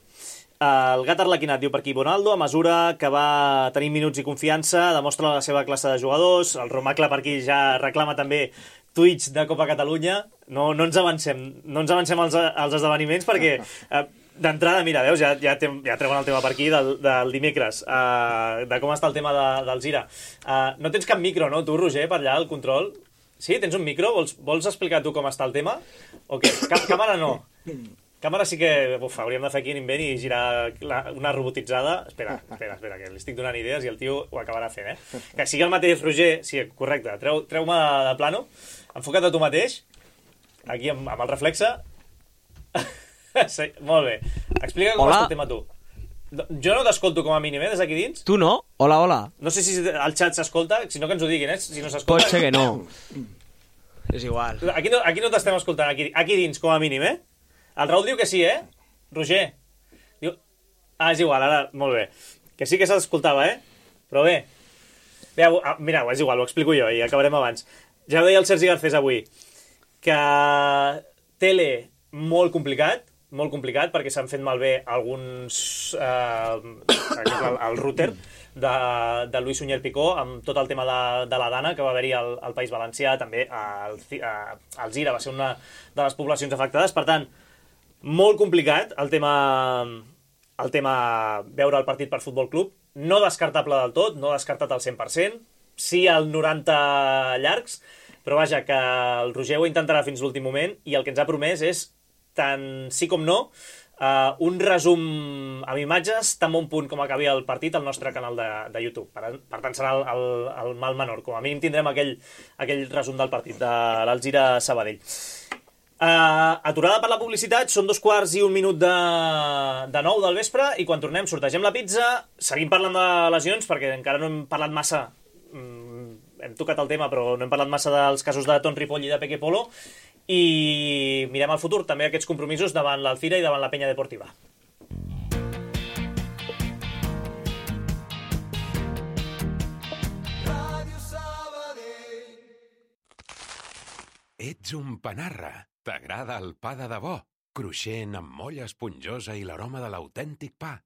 El gat arlequinat diu per aquí: Bonaldo, a mesura que va tenir minuts i confiança, demostra la seva classe de jugadors. El Romacle per aquí ja reclama també tuits de Copa Catalunya. No, no ens avancem, no ens avancem als, als esdeveniments, perquè eh, d'entrada, mira, veus, ja, ja, te, ja treuen el tema per aquí del, del dimecres, eh, de com està el tema de, del Gira. Eh, no tens cap micro, no, tu, Roger, per allà, al control? Sí, tens un micro? Vols, vols explicar tu com està el tema? O què? Cap, càmera no. Càmera sí que uf, hauríem de fer aquí un invent i girar la, una robotitzada. Espera, espera, espera, que li estic donant idees i el tio ho acabarà fent, eh? Que sigui el mateix, Roger. Sí, correcte. Treu, treu-me de, de plano. Enfoca't a tu mateix. Aquí, amb, amb el reflexe. Sí, molt bé. Explica com està el tema tu. Jo no t'escolto com a mínim, eh, des d'aquí dins. Tu no? Hola, hola. No sé si el xat s'escolta, si no que ens ho diguin, eh? Si no s'escolta. Pot ser que no. És igual. Aquí no, aquí no t'estem escoltant, aquí, aquí dins, com a mínim, eh? El Raül diu que sí, eh? Roger. Diu... Ah, és igual, ara, molt bé. Que sí que s'escoltava, eh? Però bé. Bé, mireu, és igual, ho explico jo i acabarem abans. Ja ho deia el Sergi Garcés avui, que tele molt complicat, molt complicat, perquè s'han fet malbé alguns... Eh, per exemple, el, el router de, de Luis Suñer Picó, amb tot el tema de, de la Dana que va haver-hi al, al País Valencià, també al, al Gira va ser una de les poblacions afectades. Per tant, molt complicat el tema, el tema veure el partit per Futbol Club, no descartable del tot, no descartat al cent per cent, sí al noranta llargs, però vaja, que el Roger ho intentarà fins l'últim moment, i el que ens ha promès és, tant sí com no, uh, un resum amb imatges tan bon punt com acabi el partit al nostre canal de, de YouTube. Per, per tant, serà el, el, el mal menor. Com a mínim tindrem aquell, aquell resum del partit de l'Alzira Sabadell. Uh, aturada per la publicitat, són dos quarts i un minut de, de nou del vespre, i quan tornem sortegem la pizza, seguim parlant de lesions perquè encara no hem parlat massa, mm, hem tocat el tema però no hem parlat massa dels casos de Ton Ripoll i de Peque Polo, i mirem al futur també aquests compromisos davant l'Alzira i davant la Penya Deportiva. Ets un panarra. T'agrada el pa de debò, cruixent amb molla esponjosa i l'aroma de l'autèntic pa.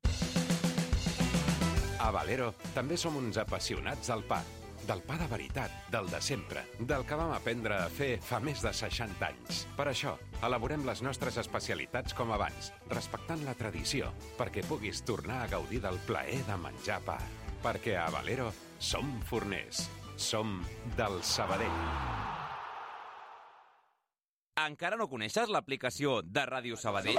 A Valero també som uns apassionats del pa. Del pa de veritat, del de sempre, del que vam aprendre a fer fa més de seixanta anys. Per això, elaborem les nostres especialitats com abans, respectant la tradició, perquè puguis tornar a gaudir del plaer de menjar pa. Perquè a Valero som forners, som del Sabadell. Encara no coneixes l'aplicació de Ràdio Sabadell?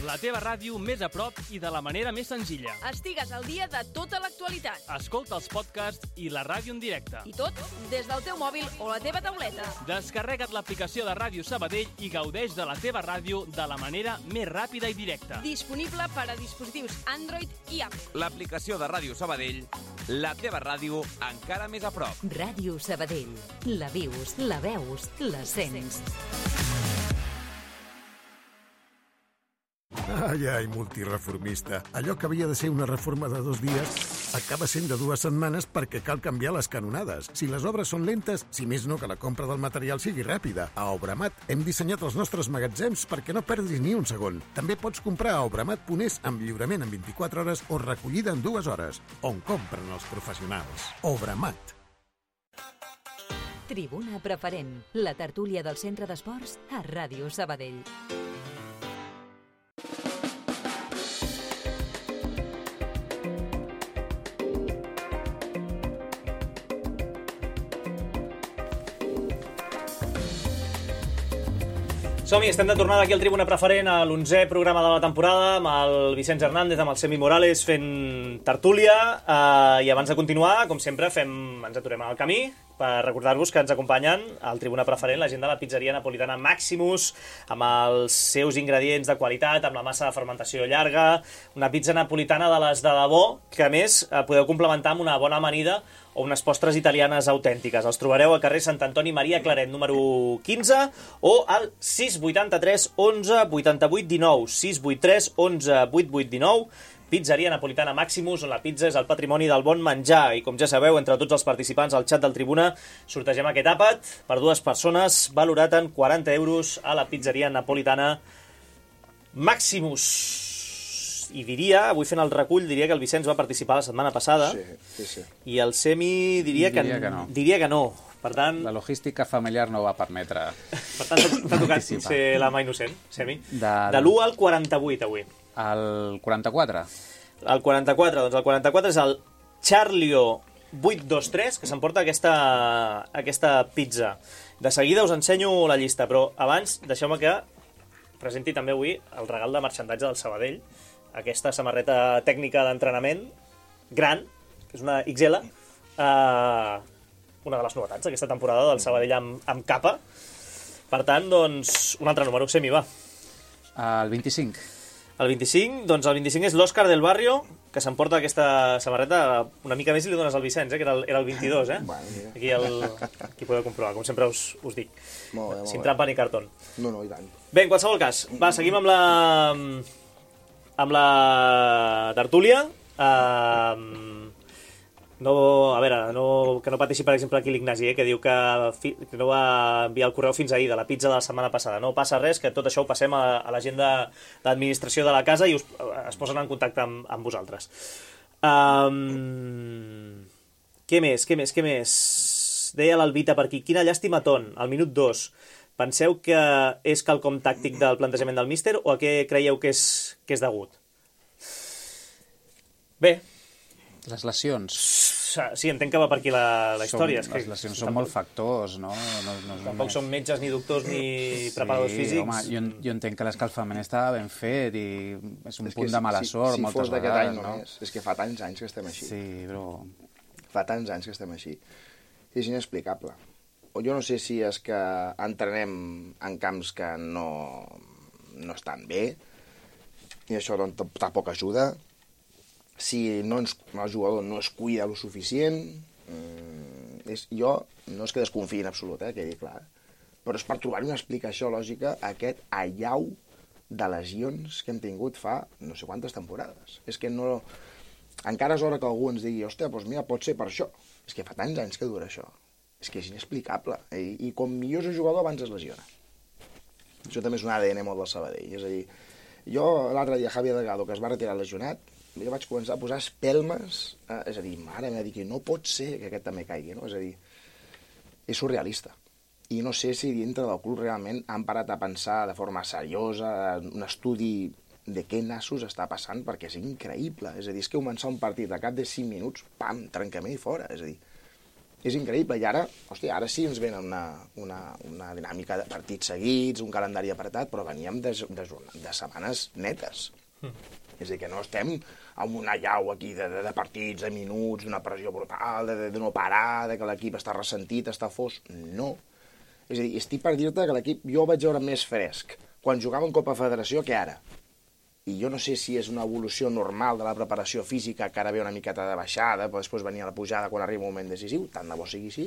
La teva ràdio més a prop i de la manera més senzilla. Estigues al dia de tota l'actualitat. Escolta els podcasts i la ràdio en directe. I tot des del teu mòbil o la teva tauleta. Descarrega't l'aplicació de Ràdio Sabadell i gaudeix de la teva ràdio de la manera més ràpida i directa. Disponible per a dispositius Android i Apple. L'aplicació de Ràdio Sabadell, la teva ràdio encara més a prop. Ràdio Sabadell. La vius, la veus, la sents. Ai, ai, multireformista. Allò que havia de ser una reforma de dos dies acaba sent de dues setmanes perquè cal canviar les canonades. Si les obres són lentes, si més no que la compra del material sigui ràpida. A Obramat hem dissenyat els nostres magatzems perquè no perdis ni un segon. També pots comprar a obramat punt es amb lliurament en vint-i-quatre hores o recollida en dues hores. On compren els professionals. Obramat. Tribuna Preferent, la tertúlia del Centre d'Esports a Ràdio Sabadell. Som-hi, estem de tornada aquí al Tribuna Preferent, a l'onzè programa de la temporada, amb el Vicenç Hernández, amb el Semi Morales fent tertúlia, eh, i abans de continuar, com sempre, fem, ens aturem al camí per recordar-vos que ens acompanyen al Tribuna Preferent la gent de la pizzeria napolitana Maximus, amb els seus ingredients de qualitat, amb la massa de fermentació llarga, una pizza napolitana de les de debò, que a més podeu complementar amb una bona amanida o unes postres italianes autèntiques. Els trobareu al carrer Sant Antoni Maria Claret, número quinze, o al sis vuitanta-tres onze vuitanta-vuit dinou, sis vuitanta-tres onze vuitanta-vuit dinou, Pizzeria Napolitana Maximus, on la pizza és el patrimoni del bon menjar. I com ja sabeu, entre tots els participants al xat del Tribuna sortegem aquest àpat per dues persones, valorat en quaranta euros a la Pizzeria Napolitana Maximus. I diria, avui fent el recull, diria que el Vicenç va participar la setmana passada. Sí, sí, sí. I el Semi diria, diria que, que no. Diria que no. Per tant... La logística familiar no va permetre... Per tant, t'ha tocat ser la mà innocent, Semi. De, de l'u al quaranta-vuit, avui. El quaranta-quatre? El quaranta-quatre, doncs el quaranta-quatre és el Charlio vuit dos tres, que s'emporta aquesta, aquesta pizza. De seguida us ensenyo la llista, però abans deixeu-me que presenti també avui el regal de marxandatge del Sabadell, aquesta samarreta tècnica d'entrenament gran, que és una X L, eh, una de les novetats d'aquesta temporada del Sabadell amb, amb capa. Per tant, doncs, un altre número, Semi, va. El vint-i-cinc. El vint-i-cinc, doncs el vint-i-cinc és l'Òscar del Barrio, que s'emporta aquesta samarreta. Una mica més i li dones al Vicenç, eh, que era el, era el vint-i-dos, eh? Aquí, el, aquí podeu comprovar, com sempre us, us dic. Molt bé, molt Sin bé. trampa ni cartón. No, no, i tant. Bé, en qualsevol cas, va, seguim amb la... amb la tertúlia. Uh, no, a veure, no, que no pateixi, per exemple, aquí l'Ignasi, eh, que diu que, fi, que no va enviar el correu fins ahir de la pizza de la setmana passada. No passa res, que tot això ho passem a, a la gent de l'administració de la casa i us, es posen en contacte amb, amb vosaltres. Um, què més, què més, què més? Deia l'Alvita per aquí, quina llàstima ton, al minut dos. Penseu que és quelcom tàctic del plantejament del míster o a què creieu que és, que és degut? Bé. Les lesions. Sí, entenc que va per aquí la, la història. Som, és que les lesions són molt factors, no? no, no tampoc només... són metges, ni doctors, ni preparadors sí, físics. Home, jo, jo entenc que l'escalfament estava ben fet i és un és punt de mala si, sort si moltes fos d'aquest vegades, any no? només. És que fa tants anys que estem així. Sí, però... Fa tants anys que estem així. És inexplicable. O jo no sé si és que entrenem en camps que no, no estan bé i això doncs, tampoc ajuda. Si no ens, el jugador no es cuida lo suficient, mm, és, jo no és que desconfiï en absolut, eh, quedi clar, però és per trobar-hi una explicació lògica a aquest allau de lesions que hem tingut fa no sé quantes temporades. És que no... Encara és hora que algú ens digui, hòstia, doncs mira, pot ser per això. És que fa tants anys que dura això. És que és inexplicable. I, i com millor és el jugador, abans es lesiona. Això també és un A D N molt del Sabadell. És a dir, jo l'altre dia, Javier Delgado, que es va retirar lesionat, jo vaig començar a posar espelmes, eh, és a dir, mare meva, que no pot ser que aquest també caigui, no? És a dir, és surrealista. I no sé si dintre del club realment han parat a pensar de forma seriosa, un estudi de què nassos està passant, perquè és increïble. És a dir, és que començar un partit a cap de cinc minuts, pam, trencament i fora. És a dir, és increïble. I ara, hòstia, ara sí ens venen una, una, una dinàmica de partits seguits, un calendari apretat, però veníem de, de, de setmanes netes. Mm. És a dir, que no estem amb una llau aquí de, de, de partits, de minuts, d'una pressió brutal, de, de, de no parar, de que l'equip està ressentit, està fos. No. És a dir, estic per dir-te que l'equip jo el vaig veure més fresc quan jugava en Copa Federació que ara. I jo no sé si és una evolució normal de la preparació física, que ara ve una miqueta de baixada, però després venia la pujada quan arriba un moment decisiu, tant de bo sigui així,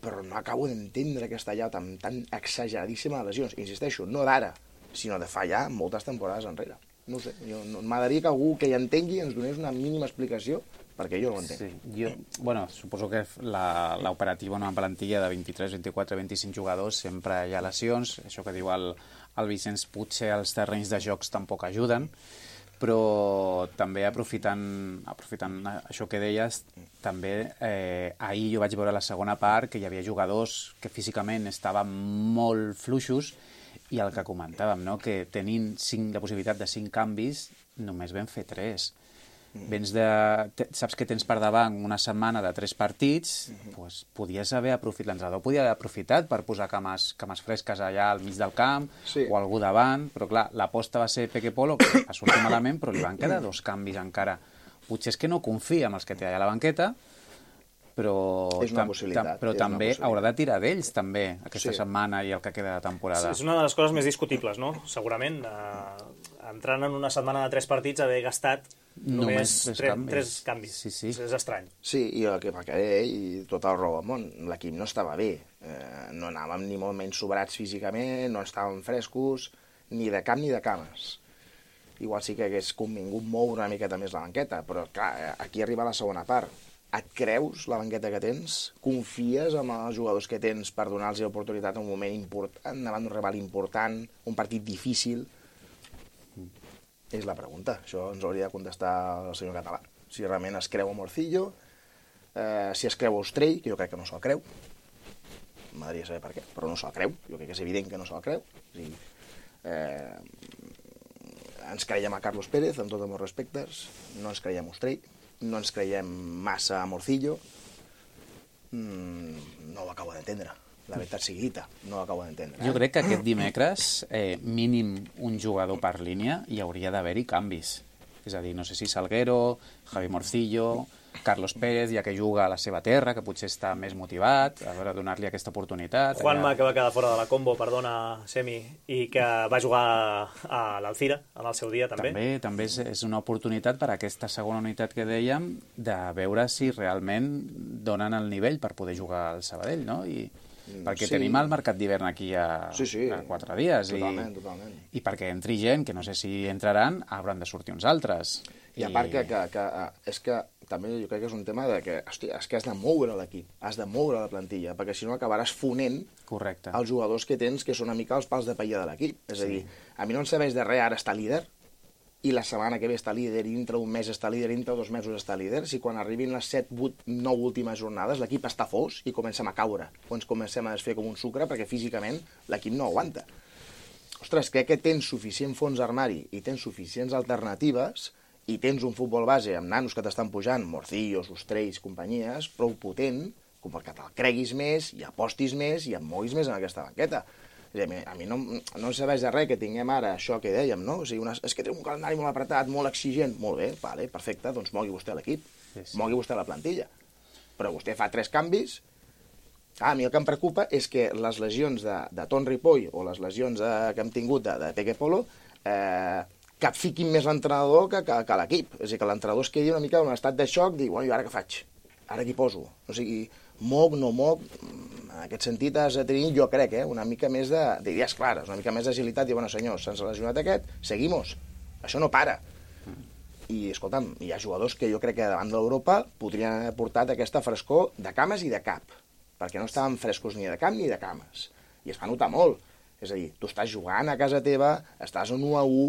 però no acabo d'entendre aquesta llau tan, tan exageradíssima de lesions. Insisteixo, no d'ara, sinó de fa ja moltes temporades enrere. No ho sé, jo, no, m'agradaria que algú que hi entengui ens donés una mínima explicació, perquè jo no ho entenc. Sí, jo, bueno, suposo que l'operativa en una plantilla de vint-i-tres, vint-i-quatre, vint-i-cinc jugadors sempre hi ha lesions, això que diu el, el Vicenç, potser els terrenys de jocs tampoc ajuden, però també aprofitant, aprofitant això que deies, també eh, ahir jo vaig veure la segona part que hi havia jugadors que físicament estaven molt fluixos i el que comentàvem, no? Que tenint cinc, la possibilitat de cinc canvis, només vam fer tres. Mm. Vens de, te, saps que tens per davant una setmana de tres partits, mm-hmm. pues, podies haver aprofitat, l'entrenador podia haver aprofitat per posar cames, cames fresques allà al mig del camp, sí. O algú davant, però clar, l'aposta va ser Peque Polo, que va sortir malament, però li van quedar dos canvis encara. Potser és que no confia en els que té allà a la banqueta, però, és una tam, possibilitat. tam, però és també haurà de tirar d'ells, també, aquesta Sí. setmana i el que queda de temporada. Sí, és una de les coses més discutibles, no? Segurament, eh, entrant en una setmana de tres partits, haver gastat només, Només tres tres, canvis. tres canvis. Sí, sí. És estrany. Sí, i el que va quedar, i tot el raó del món, l'equip no estava bé. Eh, no anàvem ni molt menys sobrats físicament, no estàvem frescos, ni de cap ni de cames. Igual sí que hagués convingut moure una miqueta més la banqueta, però clar, aquí arriba la segona part. Et creus la banqueta que tens? Confies en els jugadors que tens per donar-los l'oportunitat en un moment important, davant d'un rival important, un partit difícil? És la pregunta. Això ens hauria de contestar el senyor Català. Si realment es creu a Morcillo, eh, si es creu a Ostrell, que jo crec que no se'l creu. M'agradaria saber per què, però no se'l creu. Jo crec que és evident que no se'l creu. O sigui, eh, ens creiem a Carlos Pérez, amb tots els meus respectes, no ens creiem a Ostrell, no ens creiem massa a Morcillo, mm, no ho acabo d'entendre. La veritat sigui dita, no ho acabo d'entendre. Jo crec que aquest dimecres, eh, mínim un jugador per línia, hi hauria d'haver-hi canvis. És a dir, no sé si Salguero, Javi Morcillo, Carlos Pérez, ja que juga a la seva terra, que potser està més motivat, a veure, donar-li aquesta oportunitat. Juanma, allà... que va quedar fora de la combo, perdona, Semi, i que va jugar a l'Alcira en el seu dia, també. També, també és, és una oportunitat per a aquesta segona unitat que dèiem de veure si realment donen el nivell per poder jugar al Sabadell, no? I perquè Sí. tenim el mercat d'hivern aquí a, Sí, sí. a quatre dies. Totalment, i, totalment. I perquè entri gent, que no sé si entraran, hauran de sortir uns altres. I a part que, que, que és que també jo crec que és un tema de que, hòstia, és que has de moure l'equip, has de moure la plantilla, perquè si no acabaràs fonent Correcte. els jugadors que tens, que són una mica els pals de paella de l'equip. És a dir, a mi no em serveix de res ara estar líder, i la setmana que ve està líder, i dintre un mes està líder, i dintre dos mesos està líder, si quan arribin les set, vuit, nou últimes jornades l'equip està fos i comencem a caure, o ens comencem a desfer com un sucre perquè físicament l'equip no aguanta. Ostres, crec que tens suficient fons d'armari i tens suficients alternatives i tens un futbol base amb nanos que t'estan pujant, Morcillos, Ostrells, companyies, prou potent com perquè te'l creguis més i apostis més i et moguis més en aquesta banqueta. A mi, a mi no, no em serveix de res que tinguem ara això que dèiem, no? O sigui, una, és que té un calendari molt apretat, molt exigent. Molt bé, vale, perfecte, doncs mogui vostè l'equip, sí, sí. mogui vostè la plantilla. Però vostè fa tres canvis. Ah, a mi el que em preocupa és que les lesions de, de Ton Ripoll o les lesions de, que hem tingut de, de Peque Polo eh, que fiquin més l'entrenador que, que, que l'equip. És a dir, que l'entrenador es quedi una mica en un estat de xoc, dir, bueno, i ara què faig? Ara què poso? O sigui, moc, no moc... En aquest sentit has de tenir, jo crec, eh, una mica més de, d'idees clares, una mica més d'agilitat, i bueno, senyors, se'ns ha lesionat aquest, seguimos. Això no para. I, escolta'm, hi ha jugadors que jo crec que davant d'Europa podrien haver portat aquesta frescor de cames i de cap, perquè no estaven frescos ni de cap ni de cames. I es va notar molt. És a dir, tu estàs jugant a casa teva, estàs en u a u,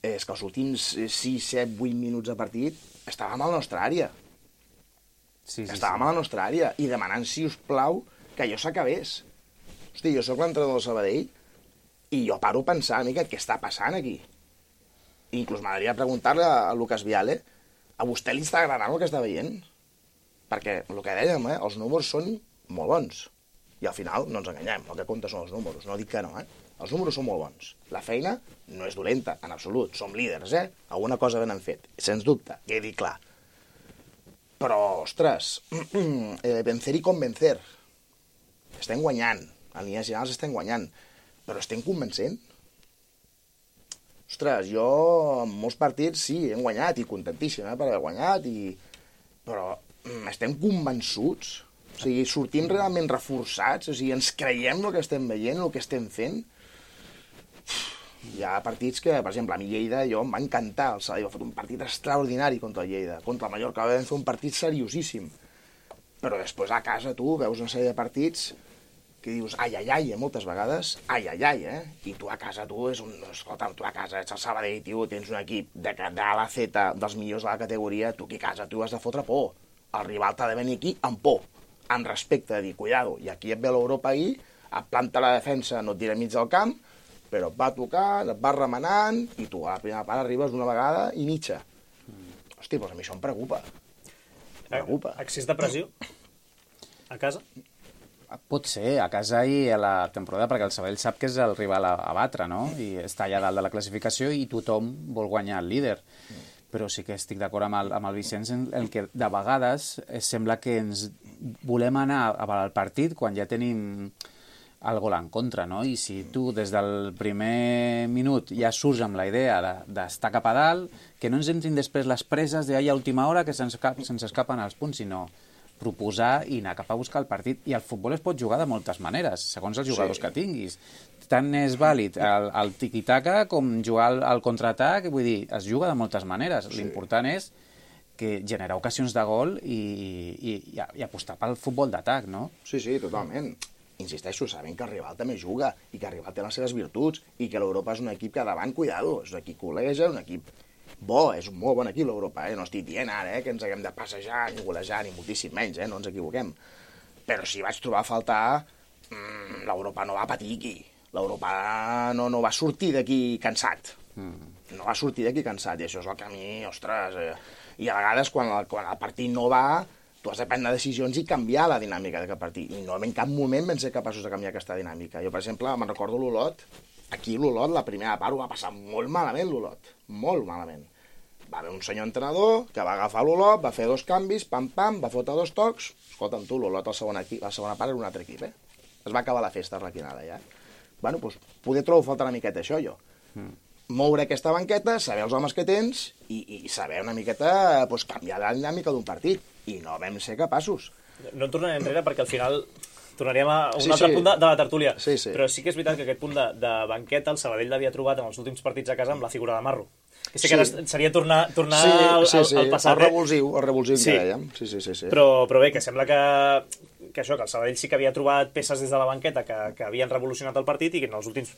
és que els últims sis, set, vuit minuts de partit estàvem a la nostra àrea. Sí, sí, estàvem sí. a la nostra àrea i demanant, si us plau, que allò s'acabés. Hosti, jo sóc l'entrenador del Sabadell i jo paro a pensar una mica què està passant aquí. I inclús m'agradaria preguntar-li a Lucas Viale, a vostè li està agradant el que està veient? Perquè el que dèiem, eh, els números són molt bons. I al final no ens enganyem, el que compta són els números, no dic que no, eh? Els números són molt bons. La feina no és dolenta, en absolut. Som líders, eh? Alguna cosa ben han fet, sens dubte, quedi clar. Però, ostres, eh, vencer i convencer. Estem guanyant, en línies generals estem guanyant, però estem convencent? Ostres, jo en molts partits sí, hem guanyat, i contentíssim eh, per haver guanyat, i... però estem convençuts? O sigui, sortim realment reforçats? O sigui, ens creiem el que estem veient, el que estem fent? Hi ha partits que, per exemple, a mi Lleida, jo em va encantar, el Sabadell va fer un partit extraordinari contra el Lleida, contra el Mallorca vam fer un partit seriosíssim, però després a casa tu veus una sèrie de partits que dius ai, ai, ai, eh, moltes vegades, ai, ai, ai, eh, i tu a casa tu és un, escolta, tu a casa ets el Sabadell, tio, tens un equip de, de A a la Z, dels millors de la categoria, tu aquí a casa tu has de fotre por, el rival t'ha de venir aquí amb por, amb respecte, de dir, cuidado, i aquí et ve l'Europa ahir, et planta la defensa, no et tira mig del camp, però et va tocant, et va remenant, i tu a la primera part arribes d'una vegada i mitja. Hosti, doncs a mi això em preocupa. Em preocupa. Excés de pressió? A casa? Pot ser, a casa i a la temporada, perquè el Sabadell sap que és el rival a, a batre, no? I està allà dalt de la classificació i tothom vol guanyar el líder. però sí que estic d'acord amb, el, amb el Vicenç en el que de vegades sembla que ens volem anar al partit quan ja tenim el gol en contra, no? I si tu des del primer minut ja surts amb la idea d'estar cap a dalt, que no ens entrin després les preses d'ahir a última hora que se'ns se'ns escapen els punts, sinó proposar i anar cap a buscar el partit. I el futbol es pot jugar de moltes maneres, segons els jugadors sí. que tinguis. Tant és vàlid el, el tiqui-taca com jugar al, al contraatac, vull dir, es juga de moltes maneres. Sí. L'important és que generar ocasions de gol i, i, i, i apostar pel futbol d'atac, no? Sí, sí, totalment. Insisteixo, sabent que el rival també juga i que el rival té les seves virtuts i que l'Europa és un equip que davant, cuidado, és un equip col·leja, un equip bo, és un molt bon equip l'Europa, eh? No estic dient ara eh, que ens haguem de passejar ni golejar ni moltíssim menys, eh? No ens equivoquem. Però si vaig trobar a faltar, mmm, l'Europa no va patir aquí. L'Europa no, no va sortir d'aquí cansat. Mm. No va sortir d'aquí cansat i això és el camí, ostres... Eh? I a vegades quan el, quan el partit no va... tu has de prendre decisions i canviar la dinàmica d'aquest partit. I no en cap moment vam ser capaços de canviar aquesta dinàmica. Jo, per exemple, me'n recordo l'Olot. Aquí l'Olot, la primera part, ho va passar molt malament, l'Olot. Molt malament. Va haver un senyor entrenador que va agafar l'Olot, va fer dos canvis, pam-pam, va fotre dos tocs. Escolta'm tu, l'Olot, la segona, la segona part era un altre equip, eh? Es va acabar la festa arlequinada, ja. Bueno, doncs, poder trobar falta una miqueta això, jo. Mm. Moure aquesta banqueta, saber els homes que tens i, i saber una miqueta pues, canviar la dinàmica d'un partit. I no vam ser capaços. No en tornarem enrere perquè al final tornaríem a un sí, altre sí. punt de, de la tertúlia. Sí, sí. Però sí que és veritat que aquest punt de, de banqueta el Sabadell l'havia trobat en els últims partits a casa amb la figura de Marro. Que sé sí. que ara seria tornar, tornar sí, al, sí, sí. al passat. El revulsiu, el revulsiu sí. que dèiem. Sí, sí, sí, sí. Però, però bé, que sembla que, que això, que el Sabadell sí que havia trobat peces des de la banqueta que, que havien revolucionat el partit i que en els últims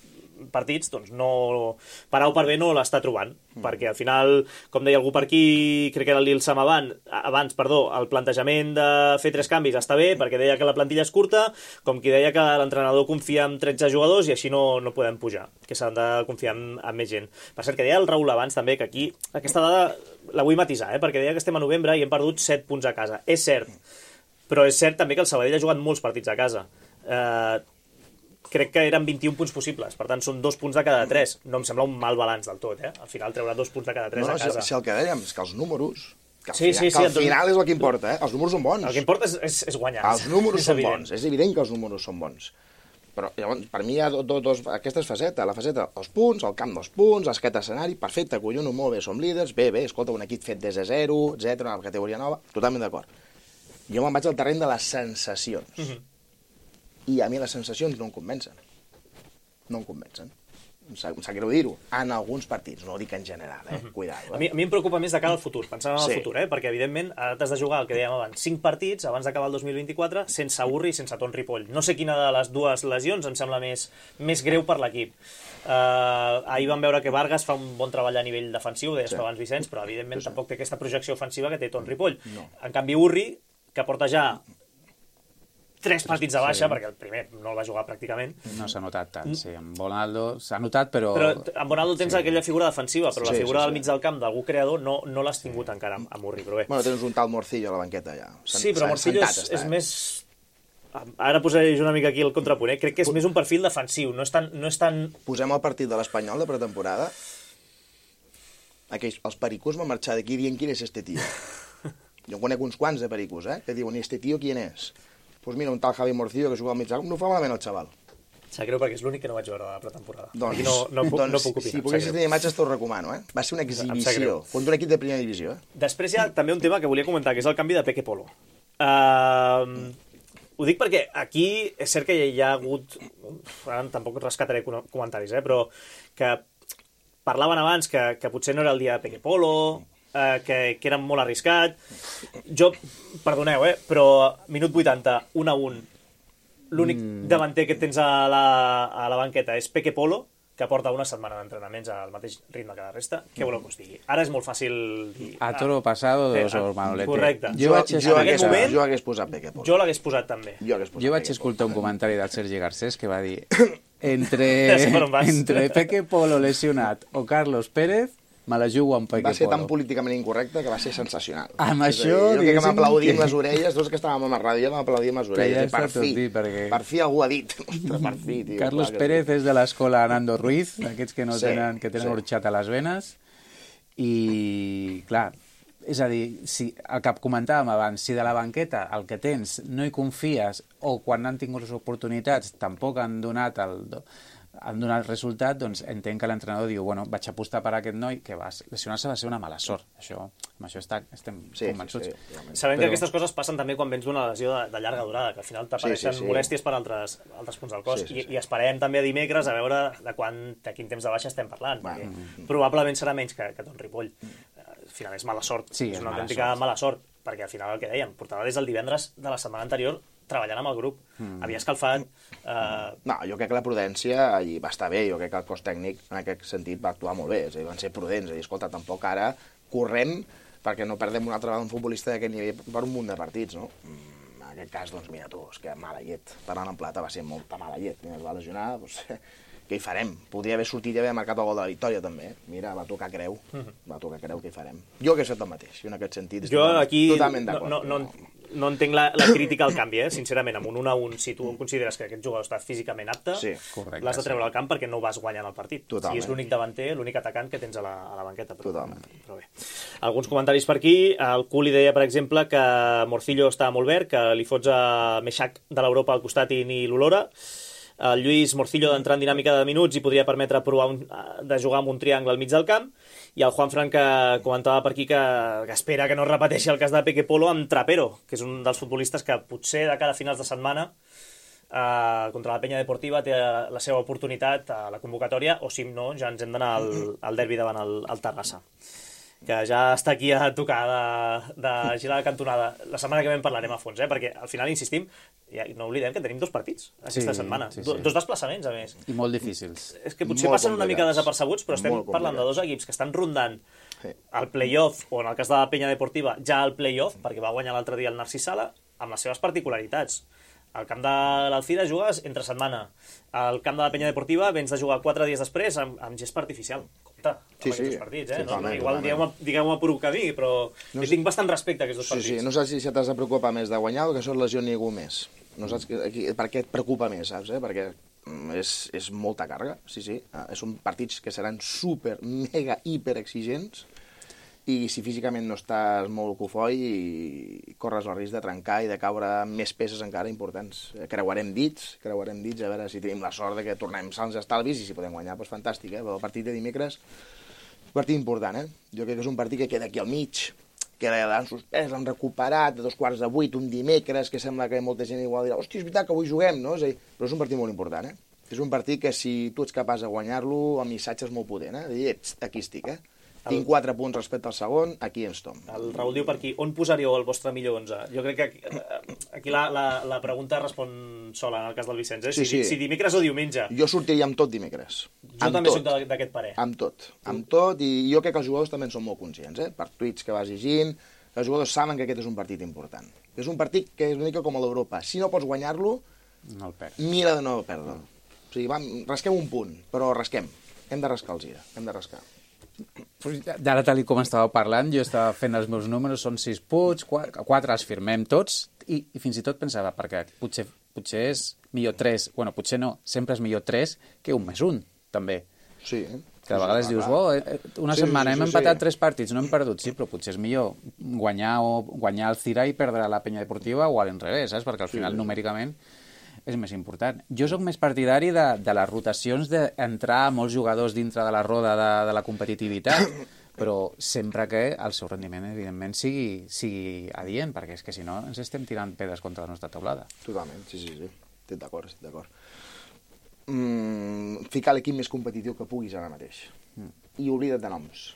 partits, doncs no, per A o per B no l'està trobant, mm. perquè al final, com deia algú per aquí, crec que era l'Il Sam abans, abans, perdó, el plantejament de fer tres canvis està bé, perquè deia que la plantilla és curta, com qui deia que l'entrenador confia en tretze jugadors i així no, no podem pujar, que s'han de confiar en, en més gent. Per cert, que deia el Raül abans també, que aquí aquesta dada la vull matisar, eh, perquè deia que estem a novembre i hem perdut set punts a casa. És cert, però és cert també que el Sabadell ha jugat molts partits a casa. Eh, crec que eren vint-i-un punts possibles, per tant són dos punts de cada tres. No em sembla un mal balanç del tot, eh? Al final treurà dos punts de cada tres no, no, a casa. Si, si el que dèiem és que els números, que al, sí, final, sí, que sí, al final és el que importa, eh? Els números són bons. El que importa és, és, és guanyar. Els números és són evident. bons, és evident que els números són bons. Però llavors, per mi hi ha do, do, dos, aquesta és faceta, la faceta, els punts, el camp dels punts, aquest escenari, perfecte, collons, molt bé, som líders, bé, bé, escolta, un equip fet des de zero, etcètera, una categoria nova, totalment d'acord. Jo me'n vaig al terreny de les sensacions. Uh-huh. I a mi les sensacions no em convencen. No em convencen. Em sap, em sap greu dir-ho. En alguns partits, no ho dic en general, eh? Uh-huh. Cuidado. Eh? A, mi, a mi em preocupa més de cara al futur, pensant en el sí. futur, eh? Perquè evidentment ara t'has de jugar, el que dèiem abans, cinc partits abans d'acabar el dos mil vint-i-quatre sense Urri i sense Ton Ripoll. No sé quina de les dues lesions em sembla més, més greu per l'equip. Uh, ahir vam veure que Vargas fa un bon treball a nivell defensiu, deies sí. abans Vicenç, però evidentment sí. tampoc té aquesta projecció ofensiva que té Ton Ripoll. No. En canvi Urri, que porta ja tres partits de baixa, sí. perquè el primer no el va jugar pràcticament. No s'ha notat tant, sí. Amb Bonaldo s'ha notat, però... Però amb Bonaldo tens sí. aquella figura defensiva, però sí, la figura sí, sí. del mig del camp d'algú creador no, no l'has tingut encara amb, amb Urri, però bé. Bueno, tens un tal Morcillo a la banqueta ja. Sí, però Morcillo és, és eh? més... Ara posaré jo una mica aquí el contrapunt, eh? Crec que és més un perfil defensiu, no és tan... No és tan... Posem el partit de l'Espanyol de pretemporada. Aquells, els pericos van marxar d'aquí dient quin és este tio. Jo en conec uns quants de pericos, eh? Que diuen, este tio qui és? Doncs pues mira, un tal Javi Morcillo que juga al mig camp, no fa malament el xaval. Sap greu perquè és l'únic que no vaig veure a la pretemporada. Doncs, no, no, puc, doncs no puc opinar. Si poguessis tenir imatges t'ho recomano, eh? Va ser una exhibició contra un equip de primera divisió, eh? Després hi ha també un tema que volia comentar, que és el canvi de Peque Polo. Uh, ho dic perquè aquí és cert que hi ha hagut... Ara tampoc rescataré comentaris, eh? Però que parlaven abans que, que potser no era el dia de Peque Polo... Uh, que, que era molt arriscat. Jo, perdoneu, eh, però minut vuitanta, un a un, l'únic mm. davanter que tens a la, a la banqueta és Peque Polo, que porta una setmana d'entrenaments al mateix ritme que la resta. Què voleu que us digui? Ara és molt fàcil dir... A toro pasado, dos hores, Manolete. Correcte. Jo, jo, jo, hagués, moment, jo hagués posat Peque Polo. Jo l'hagués posat també. Jo, posat jo vaig escoltar un comentari del Sergi Garcés que va dir entre, entre Peque Polo lesionat o Carlos Pérez me la jugo amb Peque Polo. Va ser tan políticament incorrecte que va ser sensacional. Amb això... Jo que m'aplaudim que... les orelles, tots que estàvem a la ràdio m'aplaudim les orelles. Ja per fi, dit, perquè... per fi algú ha dit. Per fi, tio. Carlos Pérez és de l'escola Nando Ruiz, aquests que no sí, tenen, que tenen sí. orxat a les venes, I, clar, és a dir, si el que comentàvem abans, si de la banqueta el que tens no hi confies o quan han tingut les oportunitats tampoc han donat el... han donat resultat, doncs entenc que l'entrenador diu, bueno, vaig apostar per aquest noi, que va lesionar-se va ser una mala sort. Això, amb això està, estem sí, convençuts. Sí, sí. Sabem Però... que aquestes coses passen també quan vens d'una lesió de, de llarga durada, que al final t'apareixen sí, sí, sí. molèsties per altres, altres punts del cos. Sí, sí, sí. I, I esperem també a dimecres a veure de, quan, de quin temps de baixa estem parlant. Bueno. Perquè probablement serà menys que, que Ton Ripoll. Al final és mala sort. Sí, és una autèntica mala sort, perquè al final el que dèiem, portava des del divendres de la setmana anterior treballant amb el grup. Mm. Havia escalfat... Eh... No, jo crec que la prudència hi va estar bé, jo crec que el cos tècnic en aquest sentit va actuar molt bé, és a dir, van ser prudents, és a dir, escolta, tampoc ara correm perquè no perdem una altra vegada un futbolista d'aquest nivell per un munt de partits, no? En aquest cas, doncs, mira tu, és que mala llet, parlant en plata va ser molta mala llet, mira, es va lesionar, doncs, què hi farem? Podria haver sortit i haver marcat el gol de la victòria, també. Mira, va tocar creu, va tocar creu, què hi farem? Jo que he fet el mateix, jo en aquest sentit jo aquí totalment d'acord. No, no, no, no entenc la, la crítica al canvi, eh? Sincerament, amb un un a un, si tu consideres que aquest jugador està físicament apte, sí, l'has de treure al camp perquè no vas guanyant el partit. Totalment. Si és l'únic davanter, l'únic atacant que tens a la, a la banqueta. Però, Totalment. Però bé. Alguns comentaris per aquí. El Culi deia, per exemple, que Morcillo està molt verd, que li fots a Meixac de l'Europa al costat i ni l'olora. El Lluís Morcillo d'entrar en dinàmica de minuts i podria permetre provar un, de jugar amb un triangle al mig del camp, i el Juanfran que comentava per aquí que, que espera que no es repeteixi el cas de Peque Polo amb Trapero, que és un dels futbolistes que potser de cada finals de setmana eh, contra la Penya Deportiva té la seva oportunitat a la convocatòria, o si no, ja ens hem d'anar al, al derbi davant el, el Terrassa, que ja està aquí a tocar de, de girar la cantonada. La setmana que ve en parlarem a fons, eh? Perquè al final, insistim, ja no oblidem que tenim dos partits aquesta sí, setmana, sí, sí. Do, dos desplaçaments, a més. I molt difícils. És que potser molt passen una mica desapercebuts, però estem parlant de dos equips que estan rondant sí. el play-off, o en el cas de la Penya Deportiva, ja el play-off, perquè va guanyar l'altre dia el Narcís Sala, amb les seves particularitats. Al camp de l'Alcira jugues entre setmana. Al camp de la Penya Deportiva vens de jugar quatre dies després amb, amb gest artificial. Compte, amb sí, aquests sí. partits, eh? Sí, no, igual digueu-me digueu per un camí, però no sé... tinc bastant respecte a aquests dos sí, partits. Sí, no saps si t'has de preocupar més de guanyar o que això et lesioni ningú més. No saps que, aquí, per què et preocupa més, saps? Eh? Perquè és, és molta càrrega, sí, sí. Ah, són partits que seran super, mega, hiper exigents, i si físicament no estàs molt cofoi i corres el risc de trencar i de caure més peces encara importants. Creuarem dits, creuarem dits, a veure si tenim la sort de que tornem sans estalvis i si podem guanyar, doncs fantàstic, eh? Però el partit de dimecres, un partit important, eh? Jo crec que és un partit que queda aquí al mig, que l'han suspès, l'han recuperat de dos quarts de vuit, un dimecres, que sembla que molta gent igual dirà, hòstia, és veritat que avui juguem, no? És a dir, però és un partit molt important, eh? És un partit que si tu ets capaç de guanyar-lo, el missatge és molt potent, eh? De dir, ets, aquí estic, eh? Tinc quatre punts respecte al segon, aquí ens tom. El Raül diu per aquí, on posaríeu el vostre millor onze? Jo crec que aquí, aquí la, la, la pregunta respon sola en el cas del Vicenç, eh? Sí, si, sí. si dimecres o diumenge. Jo sortiria amb tot dimecres. Jo amb també tot. soc d'aquest parer. Amb tot, amb tot, i jo crec que els jugadors també en són molt conscients, eh? Per tuits que vas llegint, els jugadors saben que aquest és un partit important. És un partit que és una mica com a l'Europa. Si no pots guanyar-lo, no mira de no perdre. O sigui, va, rasquem un punt, però rasquem. Hem de rascar el gira, hem de rascar. Ara, tal com estàveu parlant, jo estava fent els meus números, són sis punts, quatre, quatre els firmem tots, i, i fins i tot pensava, perquè potser, potser és millor tres, bueno, potser no, sempre és millor tres que un més un, també. Sí. Que a vegades sí, dius, oh, una sí, setmana sí, sí, hem empatat sí. tres partits, no hem perdut, sí, però potser és millor guanyar o guanyar el Cira i perdre la Penya Deportiva o a l'enrevés, saps? Perquè al final, sí, numèricament, és més important. Jo sóc més partidari de, de les rotacions, d'entrar molts jugadors dintre de la roda de, de la competitivitat, però sempre que el seu rendiment, evidentment, sigui, sigui adient, perquè és que si no ens estem tirant pedres contra la nostra taulada. Totalment, sí, sí, sí. Estic d'acord, estic d'acord. Mm, ficar l'equip més competitiu que puguis ara mateix. Mm. I oblida't de noms.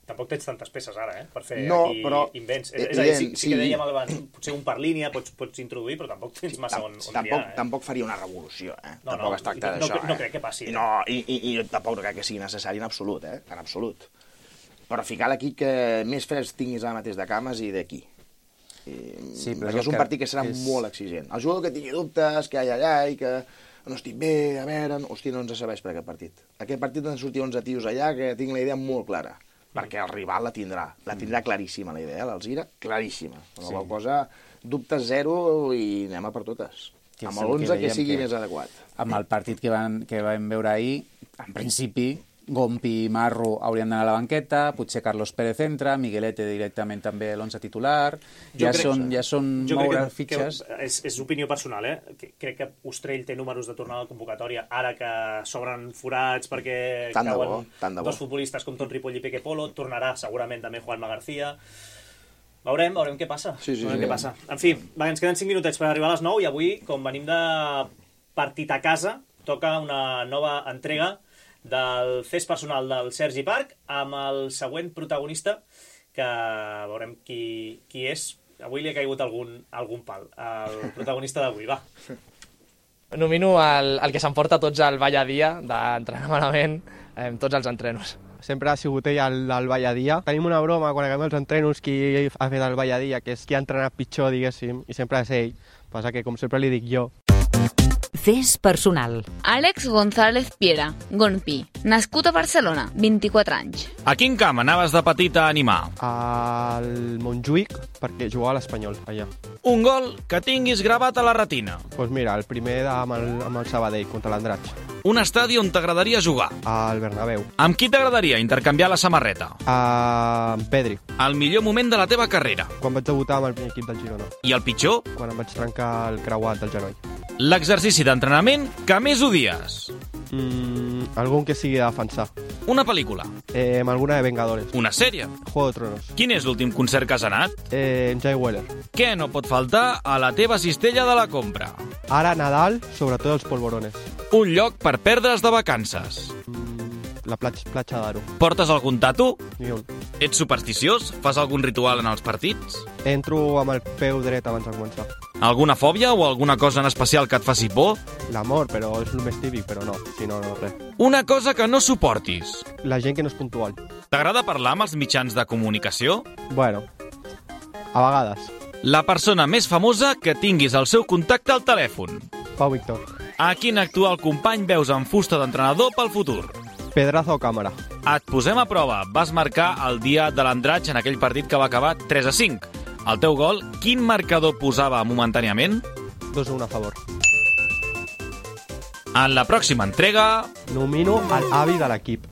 Tampoc tens tantes peces ara, eh? Per fer no, aquí però, invents. És, és a dir, sí, sí que dèiem abans, potser un per línia pots, pots introduir, però tampoc tens massa on, on tampoc, triar, eh? Tampoc faria una revolució, eh? No, tampoc no, es tracta no, d'això, no, no eh? crec que passi. No, i, i, i tampoc crec que sigui necessari en absolut, eh? En absolut. Però ficar l'equip que més freds tinguis ara mateix de cames i d'aquí. Sí, però és un partit que serà és... molt exigent. El jugador que tingui dubtes, que ai, ai, ai, que no estic bé, a veure... Hòstia, no ens serveix per aquest partit. Aquest partit han sortit onze tios allà que tinc la idea molt clara. Perquè el rival la tindrà, la tindrà claríssima la idea, l'Alzira, claríssima. Una sí. cosa, dubtes zero i anem a per totes. Que amb l'onze que, que sigui que, més adequat. Amb el partit que, van, que vam veure ahir, en principi, Gompi i Marro haurien d'anar a la banqueta, potser Carlos Pérez entra, Miguelete directament també a l'onze titular, ja crec, són, ja són moure que, fitxes. Que és, és opinió personal, eh? Crec que Ostrell té números de tornada de convocatòria, ara que s'obren forats perquè tant cauen bo, tant dos futbolistes com Ton Ripoll i Peque Polo, tornarà segurament també Juanma García. Veurem, veurem què passa. Sí, sí, veurem sí. què passa. En fi, va, ens queden cinc minutets per arribar a les nou i avui, com venim de partit a casa, toca una nova entrega del fes personal del Sergi Parc amb el següent protagonista que veurem qui, qui és. Avui li ha caigut algun, algun pal, el protagonista d'avui, va. Nomino el, el que s'emporta tots el ball a dia d'entrenar malament eh, tots els entrenos. Sempre ha sigut ell el, el ball a dia. Tenim una broma quan acabem els entrenos qui ha fet el ball a dia, que és qui ha entrenat pitjor, diguéssim, i sempre és ell. Passa que, com sempre li dic jo, Fes personal. Àlex González Piera, Gonpi, nascut a Barcelona, vint-i-quatre anys. A quin camp anaves de petit a animar? al Montjuïc, perquè jugava a l'Espanyol, allà. Un gol que tinguis gravat a la retina. Doncs pues mira, el primer amb el, amb el Sabadell, contra l'Andratx. Un estadi on t'agradaria jugar. Al Bernabéu. Amb qui t'agradaria intercanviar la samarreta? Amb Pedri. El millor moment de la teva carrera. Quan vaig debutar amb el primer equip del Girona. I el pitjor? Quan em vaig trencar el creuat del genoll. L'exercici d'entrenament que més odies. Mm, algun que sigui de defensar. Una pel·lícula. Eh, amb alguna de Vengadores. Una sèrie. Juego de Tronos. Quin és l'últim concert que has anat? Eh, Jay Weller. Què no pot faltar a la teva cistella de la compra? Ara Nadal, sobretot els polvorones. Un lloc per perdre's de vacances. La platja, platja d'Aro. Portes algun tatu? Ni un. Ets supersticiós? Fas algun ritual en els partits? Entro amb el peu dret abans de començar. Alguna fòbia o alguna cosa en especial que et faci por? L'amor, però és el més típic, però no. Si no, no, res. Una cosa que no suportis? La gent que no és puntual. T'agrada parlar amb els mitjans de comunicació? Bueno, a vegades. La persona més famosa que tinguis el seu contacte al telèfon? Pau Víctor. A quin actual company veus en fusta d'entrenador pel futur? Pedraza o càmera. Et posem a prova. Vas marcar el dia de l'Andratx en aquell partit que va acabar tres a cinc. El teu gol, quin marcador posava momentàniament? dos a un a favor. En la pròxima entrega... Nomino a l'avi de l'equip.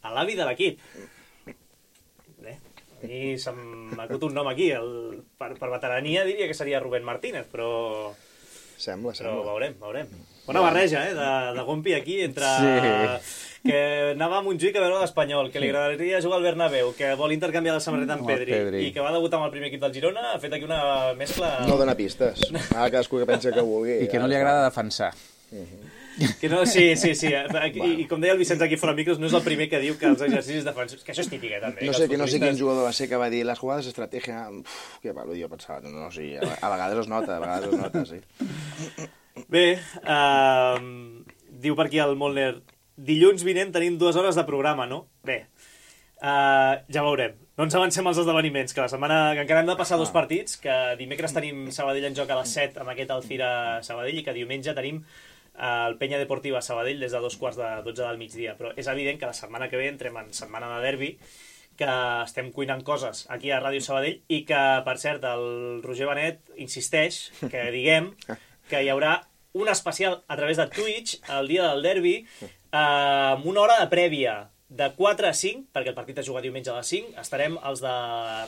A l'avi de l'equip. Bé, a mi se'm acut un nom aquí. El, per, per veterania diria que seria Rubén Martínez, però... Sembla, però sembla. veurem, veurem. Bona barreja, eh, de, de Gompi aquí, entre... Sí. Que anava a Montjuïc a veure l'Espanyol, que li agradaria jugar al Bernabéu, que vol intercanviar la samarreta amb Pedri, Pedri, i que va debutar amb el primer equip del Girona, ha fet aquí una mescla... No dona pistes. Ara cadascú que pensa que vulgui. I que no li agrada defensar. Que no, sí, sí, sí. I, i com deia el Vicenç aquí fora micros, no és el primer que diu que els exercicis defensius... Que això és típic, eh, també. No sé, que no sé quin jugador va ser que va dir les jugades d'estratègia... Que palo, jo pensava, no, no, sí, a, a vegades es nota, a vegades es nota, sí. Bé, uh, diu per aquí el Molner, dilluns vinent tenim dues hores de programa, no? Bé, uh, ja veurem. No ens avancem als esdeveniments, que la setmana que encara hem de passar dos partits, que dimecres tenim Sabadell en joc a les set amb aquest Alcira Sabadell i que diumenge tenim el Penya Deportiva Sabadell des de dos quarts de dotze del migdia. Però és evident que la setmana que ve entrem en setmana de derbi, que estem cuinant coses aquí a Ràdio Sabadell i que, per cert, el Roger Benet insisteix que diguem que hi haurà un especial a través de Twitch el dia del derbi amb una hora de prèvia de quatre a cinc, perquè el partit es juga diumenge a les cinc. Estarem els de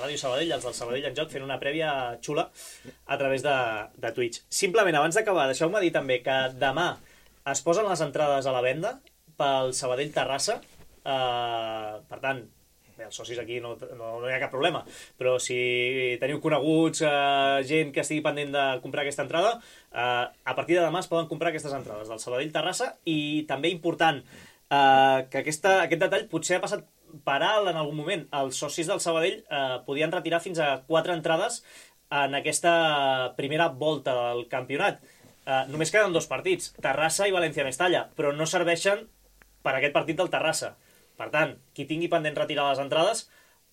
Ràdio Sabadell, els del Sabadell en joc, fent una prèvia xula a través de, de Twitch. Simplement, abans d'acabar, deixeu-me dir també que demà es posen les entrades a la venda pel Sabadell Terrassa. Uh, per tant, bé, els socis aquí no, no, no hi ha cap problema, però si teniu coneguts, eh, gent que estigui pendent de comprar aquesta entrada, eh, a partir de demà es poden comprar aquestes entrades del Sabadell Terrassa. I també important eh, que aquesta, aquest detall potser ha passat per alt en algun moment. Els socis del Sabadell eh, podien retirar fins a quatre entrades en aquesta primera volta del campionat. Eh, només queden dos partits, Terrassa i València-Mestalla, però no serveixen per aquest partit del Terrassa. Per tant, qui tingui pendent retirar les entrades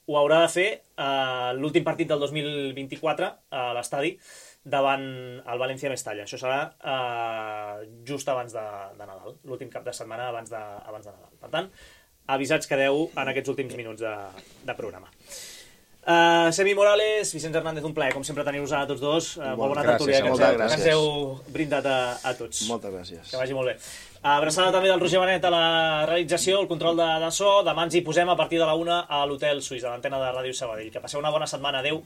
ho haurà de fer eh, l'últim partit del dos mil vint-i-quatre a l'estadi davant el València-Mestalla. Això serà eh, just abans de, de Nadal, l'últim cap de setmana abans de, abans de Nadal. Per tant, avisats quedeu en aquests últims minuts de, de programa. Uh, Semi Morales, Vicenç Hernández, un plaer, com sempre, tenir-vos a tots dos. Uh, molt bona tertúlia, que ens, que ens heu brindat a, a tots. Moltes gràcies. Que vagi molt bé. Abraçada també del Roger Benet a la realització, el control de, de so. Demà ens hi posem a partir de la una a l'Hotel Suís, a l'antena de Ràdio Sabadell. Que passeu una bona setmana. Adéu.